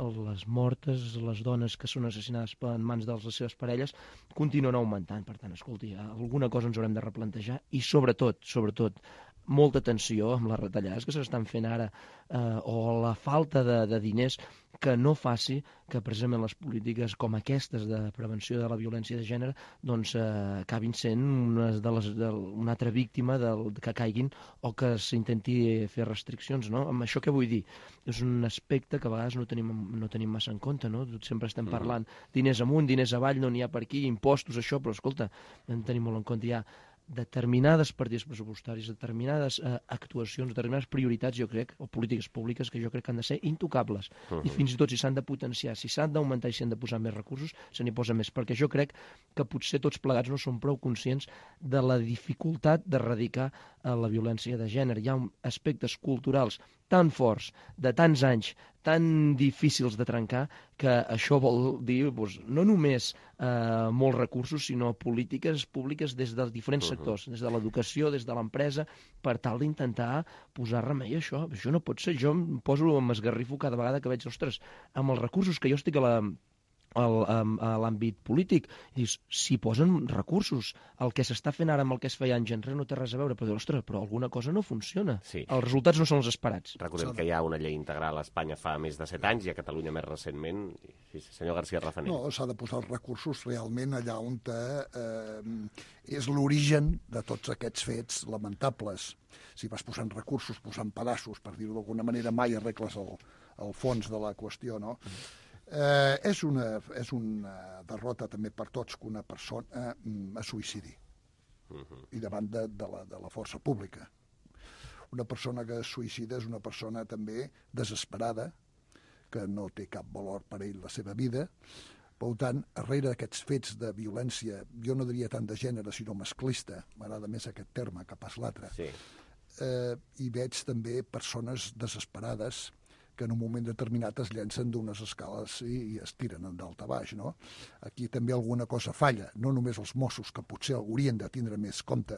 les mortes, les dones que són assassinades en mans de les seves parelles, continuen augmentant. Per tant, escolti, alguna cosa ens haurem de replantejar, i sobretot, sobretot, molta atenció amb les retallades que s'estan fent ara, eh, o la falta de, de diners, que no faci que precisament les polítiques com aquestes de prevenció de la violència de gènere doncs eh, acabin sent una, de les, de, una altra víctima del, que caiguin, o que s'intenti fer restriccions, no? Amb això què vull dir? És un aspecte que a vegades no tenim, no tenim massa en compte, no? Sempre estem parlant diners amunt, diners avall, no n'hi ha per aquí, impostos, això, però escolta, hem de tenir molt en compte ja determinades partides pressupostaris, determinades eh, actuacions, determinades prioritats, jo crec, o polítiques públiques, que jo crec que han de ser intocables. Uh-huh. I fins i tot si s'han de potenciar, si s'han d'augmentar i si s'han de posar més recursos, se n'hi posa més, perquè jo crec que potser tots plegats no som prou conscients de la dificultat d'erradicar eh, la violència de gènere. Hi ha aspectes culturals tan forts, de tants anys, tan difícils de trencar, que això vol dir doncs, no només eh, molts recursos, sinó polítiques públiques des dels diferents sectors, des de l'educació, des de l'empresa, per tal d'intentar posar remei a això. Això no pot ser. Jo em poso, m'esgarrifo cada vegada que veig, ostres, amb els recursos que jo estic a la El, a l'àmbit polític, i dius, si posen recursos, el que s'està fent ara amb el que es feia anys enrere no té res a veure, però dius, ostres, però alguna cosa no funciona. Sí. Els resultats no són els esperats. Recordem que hi ha una llei integral a Espanya fa més de set anys i a Catalunya més recentment. Sí, senyor García Rafanell. No, s'ha de posar els recursos realment allà on eh, és l'origen de tots aquests fets lamentables. Si vas posant recursos, posant pedaços, per dir-ho d'alguna manera, mai arregles el, el fons de la qüestió, no? Eh, és, una, és una derrota també per tots que una persona mm, es suïcidi uh-huh. i davant de, de, la, de la força pública. Una persona que es suïcida és una persona també desesperada, que no té cap valor per ell la seva vida. Per tant, darrere d'aquests fets de violència, jo no diria tant de gènere sinó masclista, m'agrada més aquest terme que pas l'altre, sí. eh, hi veig també persones desesperades que en un moment determinat es llencen d'unes escales i, i es tiren en dalt a baix, no? Aquí també alguna cosa falla, no només els Mossos, que potser haurien de tindre més compte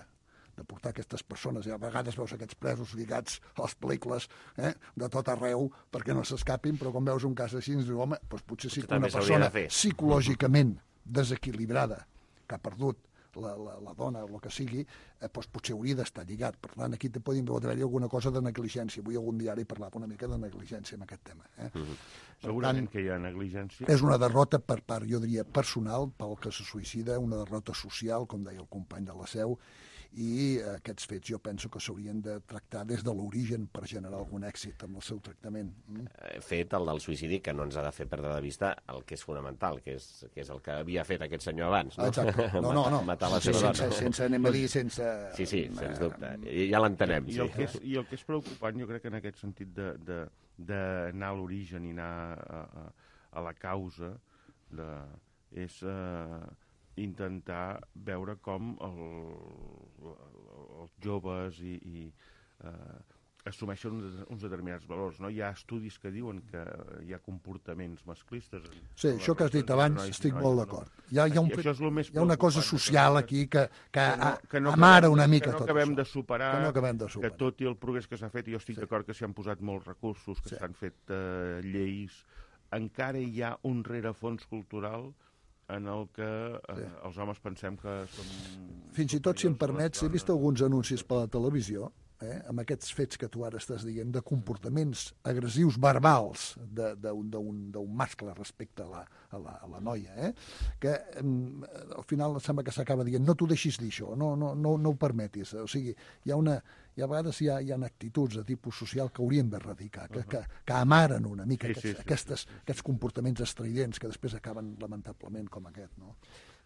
de portar aquestes persones, i a vegades veus aquests presos lligats a les pel·lícules eh, de tot arreu perquè no s'escapin, però quan veus un cas així ens diu, home, doncs potser sí que una persona psicològicament desequilibrada, que ha perdut La, la, la dona o el que sigui, eh, doncs potser hauria d'estar lligat. Per tant, aquí te podem haver-hi alguna cosa de negligència. Avui algun diari parlava una mica de negligència en aquest tema. Eh? Mm-hmm. Segurament tant, que hi ha negligència. És una derrota per part, jo diria, personal, pel que se suïcida, una derrota social, com deia el company de la Seu, i eh, aquests fets jo penso que s'haurien de tractar des de l'origen per generar algun èxit amb el seu tractament. Mm? Fet el del suïcidi, que no ens ha de fer perdre de vista el que és fonamental, que és, que és el que havia fet aquest senyor abans. No? Exacte. No, no, no. Matar la seva sense, dona. Sense, anem a dir, sense... Sí, sí, sens dubte. Ja l'entenem. I, sí. el que és, I el que és preocupant, jo crec que en aquest sentit d'anar a l'origen i anar a, a, a la causa de, és... Eh, intentar veure com el, els joves i, i eh, assumeixen uns, uns determinats valors. No? Hi ha estudis que diuen que hi ha comportaments masclistes. Sí, això que has dit abans, nois, estic nois, molt d'acord. Hi ha, hi ha, un, hi ha una cosa social aquí que, que, que, no, que no amara una mica que no tot acabem això. De superar, que no acabem de superar. Que tot i el progrés que s'ha fet, i jo estic sí. d'acord que s'hi han posat molts recursos, que s'han sí. fet eh, lleis, encara hi ha un rerefons cultural en el que eh, sí. els homes pensem que som... Fins i tot, si em permets, he vist alguns anuncis per la televisió, eh, amb aquests fets que tu ara estàs dient, de comportaments agressius verbals d'un mascle respecte a la, a la, a la noia, eh, que eh, al final sembla que s'acaba dient no t'ho deixis dir això, no, no, no, no ho permetis. O sigui, hi ha una... I a vegades hi ha, hi ha actituds de tipus social que haurien d'erradicar, que, que, que amaren una mica sí, aquests, sí, sí, aquestes, sí. aquests comportaments estridents que després acaben lamentablement com aquest, no?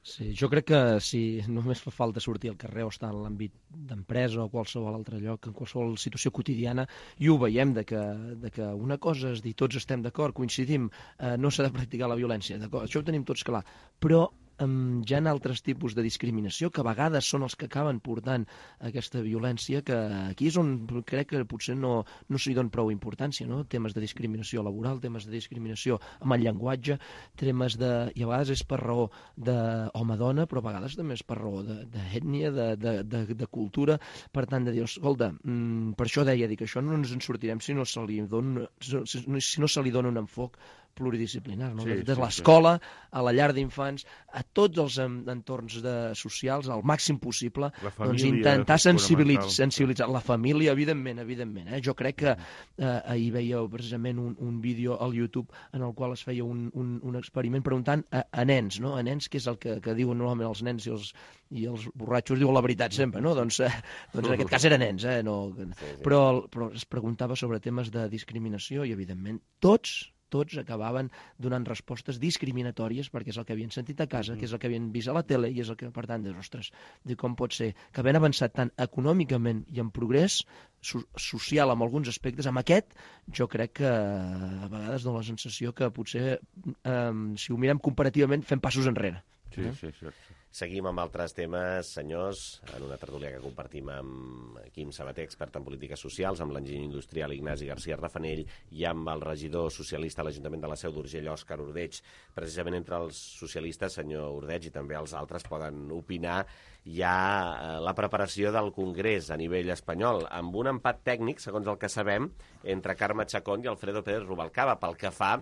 Sí, jo crec que si només fa falta sortir al carrer o estar en l'àmbit d'empresa o qualsevol altre lloc, en qualsevol situació quotidiana, i ho veiem de que, de que una cosa és dir tots estem d'acord, coincidim, eh, no s'ha de practicar la violència, d'acord, això ho tenim tots clar, però Um, hi ha altres tipus de discriminació que a vegades són els que acaben portant aquesta violència, que aquí és on crec que potser no, no s'hi dona prou importància, no? Temes de discriminació laboral, temes de discriminació amb el llenguatge, temes de... i a vegades és per raó d'home-dona, però a vegades també és per raó d'ètnia, de, de, de, de, de cultura, per tant de dir, escolta, mm, per això deia, dic, això no ens en sortirem si no se li dona, si no se li dona un enfoc pluridisciplinar, no? Sí, des de sí, l'escola, sí. a la llar d'infants, a tots els entorns de, socials, al màxim possible, família, doncs intentar sensibilitzar, sensibilitzar la família, evidentment, evidentment. Eh? Jo crec que eh, ahir veieu precisament un, un vídeo al YouTube en el qual es feia un, un, un experiment preguntant a, a nens, no? A nens, que és el que, que diuen normalment els nens i els, i els borratxos diuen la veritat sempre, no? Doncs, eh, doncs en aquest cas eren nens, eh? No, sí, sí. Però, però es preguntava sobre temes de discriminació i, evidentment, tots tots acabaven donant respostes discriminatòries perquè és el que havien sentit a casa, mm-hmm. que és el que havien vist a la tele i és el que, per tant, dius, ostres, com pot ser que havent avançat tant econòmicament i en progrés so social en alguns aspectes, amb aquest jo crec que a vegades dona la sensació que potser, eh, si ho mirem comparativament, fem passos enrere. Sí, eh? sí, sí. Seguim amb altres temes, senyors, en una tertúlia que compartim amb Quim Sabater, expert en polítiques socials, amb l'enginyer industrial Ignasi García Rafanell i amb el regidor socialista a l'Ajuntament de la Seu d'Urgell, Òscar Ordeig. Precisament entre els socialistes, senyor Ordeig, i també els altres poden opinar, hi ha la preparació del Congrés a nivell espanyol, amb un empat tècnic, segons el que sabem, entre Carme Chacón i Alfredo Pérez Rubalcaba, pel que fa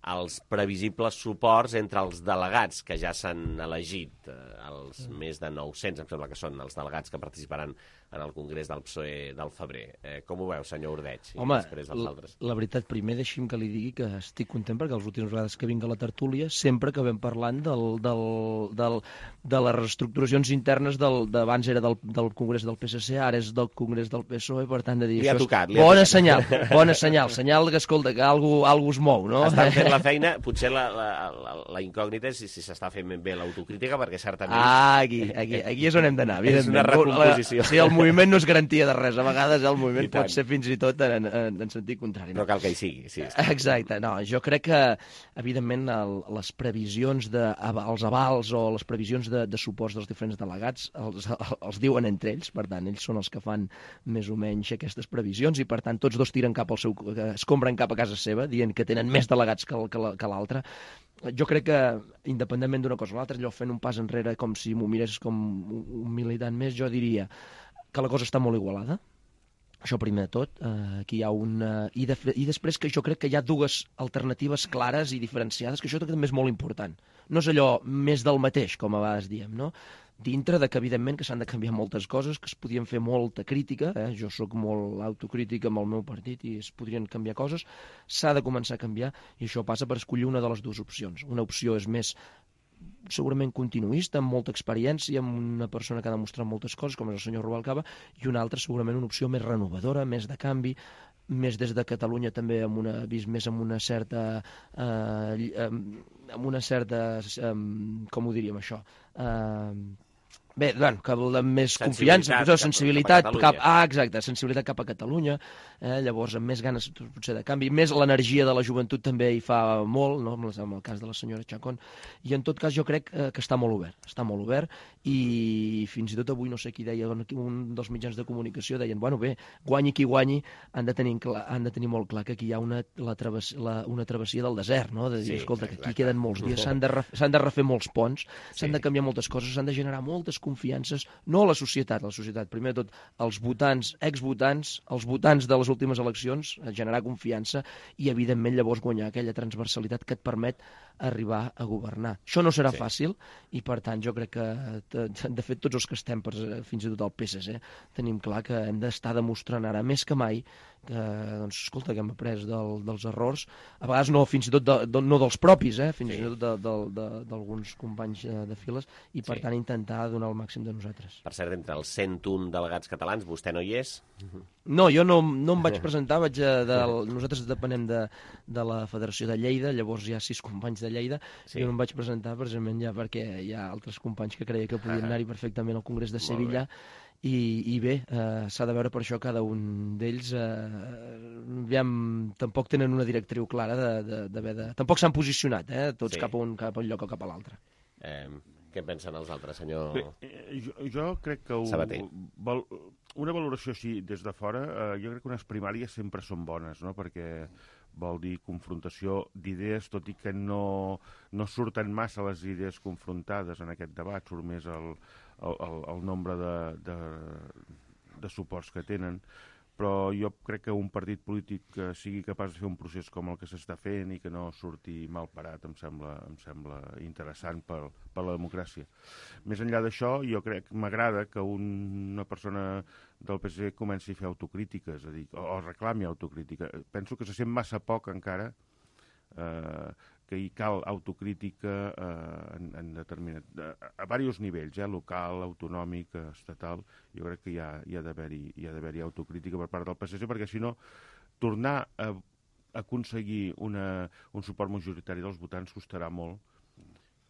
els previsibles suports entre els delegats que ja s'han elegit, els més de nou-cents, em sembla que són els delegats que participaran en el Congrés del P S O E del febrer. Eh, com ho veu, senyor Ordeig? Home, la, la veritat, primer deixi'm que li digui que estic content perquè les últimes vegades que vinc a la tertúlia sempre que vam parlant del, del, del, de les reestructuracions internes del, d'abans era del, del Congrés del P S C, ara és del Congrés del P S O E, per tant de dir li ha això tocat, és bona senyal, bona senyal, senyal que escolta que algú, algú es mou, no? Estan fent la feina, potser la, la, la, la incògnita és si, si s'està fent ben bé l'autocrítica, perquè certament... Ah, aquí, aquí, aquí és on hem d'anar. És una recomposició. Sí, el moviment no és garantia de res, a vegades el moviment pot ser fins i tot en, en, en sentit contrari. No? no cal que hi sigui, sí. sí. Exacte, no, jo crec que, evidentment, el, les previsions, de, els avals o les previsions de, de suports dels diferents delegats els, els diuen entre ells, per tant, ells són els que fan més o menys aquestes previsions i, per tant, tots dos tiren cap al seu... es compren cap a casa seva, dient que tenen més delegats que, que l'altre. Jo crec que, independentment d'una cosa o l'altra, allò fent un pas enrere com si m'ho mirés com un militant més, jo diria que la cosa està molt igualada. Això primer de tot, eh, aquí hi ha una... I, de... I després que jo crec que hi ha dues alternatives clares i diferenciades, que això també és molt important. No és allò més del mateix, com a vegades diem, no? Dintre de que, evidentment, que s'han de canviar moltes coses, que es podien fer molta crítica, eh? Jo sóc molt autocrítica amb el meu partit i es podrien canviar coses, s'ha de començar a canviar i això passa per escollir una de les dues opcions. Una opció és més segurament continuista, amb molta experiència, amb una persona que ha demostrat moltes coses, com és el senyor Rubalcaba, i una altra segurament una opció més renovadora, més de canvi, més des de Catalunya també amb una, vist més amb una certa eh, amb una certa eh, com ho diríem això eh, bé, bueno, que vol més confiança, cap, sensibilitat cap, cap, ah, exacte, sensibilitat cap a Catalunya, eh, llavors amb més ganes potser de canvi, més l'energia de la joventut també hi fa molt, no? Amb el cas de la senyora Chacón, i en tot cas jo crec eh, que està molt obert, està molt obert, i fins i tot avui no sé qui deia, un dels mitjans de comunicació deien, bueno bé, guanyi qui guanyi, han de tenir, clar, han de tenir molt clar que aquí hi ha una, la travess, la, una travessia del desert, no? De dir, sí, escolta, que aquí queden molts dies, s'han de, ref, de refer molts ponts, s'han sí. de canviar moltes coses, s'han de generar moltes confiances, no a la societat, a la societat, primer de tot, els votants, exvotants, els votants de les últimes eleccions, generar confiança i, evidentment, llavors guanyar aquella transversalitat que et permet arribar a governar. Això no serà sí. fàcil i, per tant, jo crec que, de fet, tots els que estem, per, fins i tot el P S C, tenim clar que hem d'estar demostrant ara més que mai que, doncs, escolta, que hem après del, dels errors, a vegades no, fins i tot de, de, no dels propis, eh, fins sí. i tot d'alguns companys de files, i per sí. tant intentar donar el màxim de nosaltres. Per cert, entre els cent un delegats catalans, vostè no hi és? No, jo no, no em vaig presentar, vaig a, de, nosaltres depenem de, de la Federació de Lleida, llavors hi ha sis companys de Lleida, sí. jo no em vaig presentar precisament ja perquè hi ha altres companys que creia que podien anar-hi perfectament al Congrés de Sevilla, I, i bé, eh, s'ha de veure per això cada un d'ells eh, aviam, tampoc tenen una directriu clara de, de, de, de... tampoc s'han posicionat, eh, tots sí. cap, a un, cap a un lloc o cap a l'altre. Eh, què pensen els altres, senyor bé, jo, jo crec que Sabater? Un, una valoració així des de fora, eh, jo crec que unes primàries sempre són bones, no? Perquè vol dir confrontació d'idees, tot i que no, no surten massa les idees confrontades en aquest debat, surt més el, el, el, el nombre de, de, de suports que tenen, però jo crec que un partit polític que sigui capaç de fer un procés com el que s'està fent i que no surti mal parat em sembla, em sembla interessant per, per la democràcia. Més enllà d'això, jo crec que m'agrada que un, una persona del P S C comenci a fer autocrítiques, a dir, o, o reclami autocrítica. Penso que se sent massa poc encara eh, que hi cal autocrítica eh, en, en determinat, a, a diversos nivells, eh, local, autonòmic, estatal. Jo crec que hi ha, hi ha d'haver-hi hi ha d'haver-hi autocrítica per part del P S C, perquè si no, tornar a aconseguir una, un suport majoritari dels votants costarà molt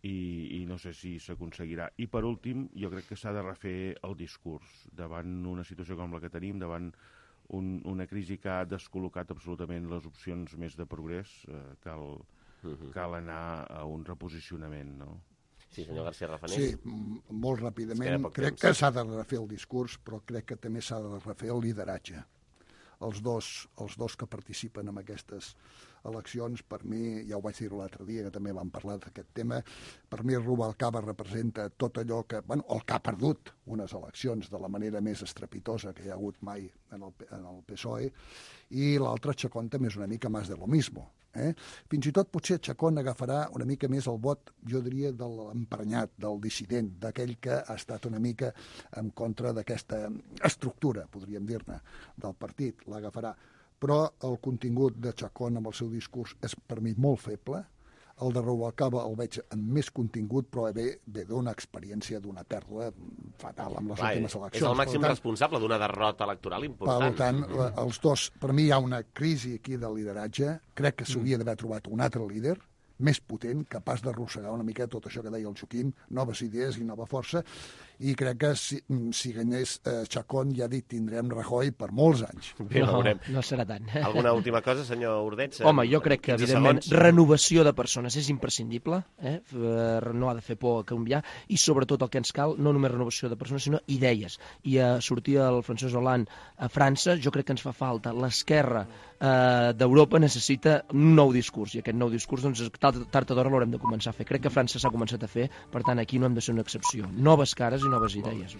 i, i no sé si s'aconseguirà. I per últim, jo crec que s'ha de refer el discurs davant una situació com la que tenim, davant un, una crisi que ha descol·locat absolutament les opcions més de progrés, eh, cal, uh-huh. cal anar a un reposicionament, no? Sí, senyor García Rafanés. Sí, molt ràpidament. Crec que s'ha de refer el discurs, però crec que també s'ha de refer el lideratge. Els dos, els dos que participen en aquestes eleccions, per mi, ja ho vaig dir l'altre dia, que també vam parlar d'aquest tema, per mi Rubalcaba representa tot allò que, bueno, el que ha perdut unes eleccions de la manera més estrepitosa que hi ha hagut mai en el, en el P S O E, i l'altre, Chacón, també és una mica més de lo mismo. Eh? Fins i tot potser Chacón agafarà una mica més el vot, jo diria, de l'emprenyat, del dissident, d'aquell que ha estat una mica en contra d'aquesta estructura, podríem dir-ne, del partit, l'agafarà. Però el contingut de Chacón amb el seu discurs és per mi molt feble. El de Rubalcaba el veig amb més contingut, però ve, ve d'una experiència d'una pèrdua fatal amb les Clar, últimes eleccions. És el màxim tant, responsable d'una derrota electoral important. Per tant, els dos, per mi hi ha una crisi aquí de lideratge. Crec que s'hauria d'haver trobat un altre líder, més potent, capaç d'arrossegar una mica tot això que deia el Joaquim, noves idees i nova força, i crec que si, si guanyés eh, Chacón, ja dit, tindrem Rajoy per molts anys. Bé, no, no serà tant. Alguna última cosa, senyor Ordeig? Home, jo crec que, evidentment, segons... renovació de persones és imprescindible, eh? No ha de fer por a canviar, i sobretot el que ens cal, no només renovació de persones, sinó idees. I a sortir el Francesc Hollande a França, jo crec que ens fa falta. L'esquerra eh, d'Europa necessita un nou discurs, i aquest nou discurs, doncs, tard o d'hora l'haurem de començar a fer. Crec que França s'ha començat a fer, per tant, aquí no hem de ser una excepció. Noves cares i noves idees.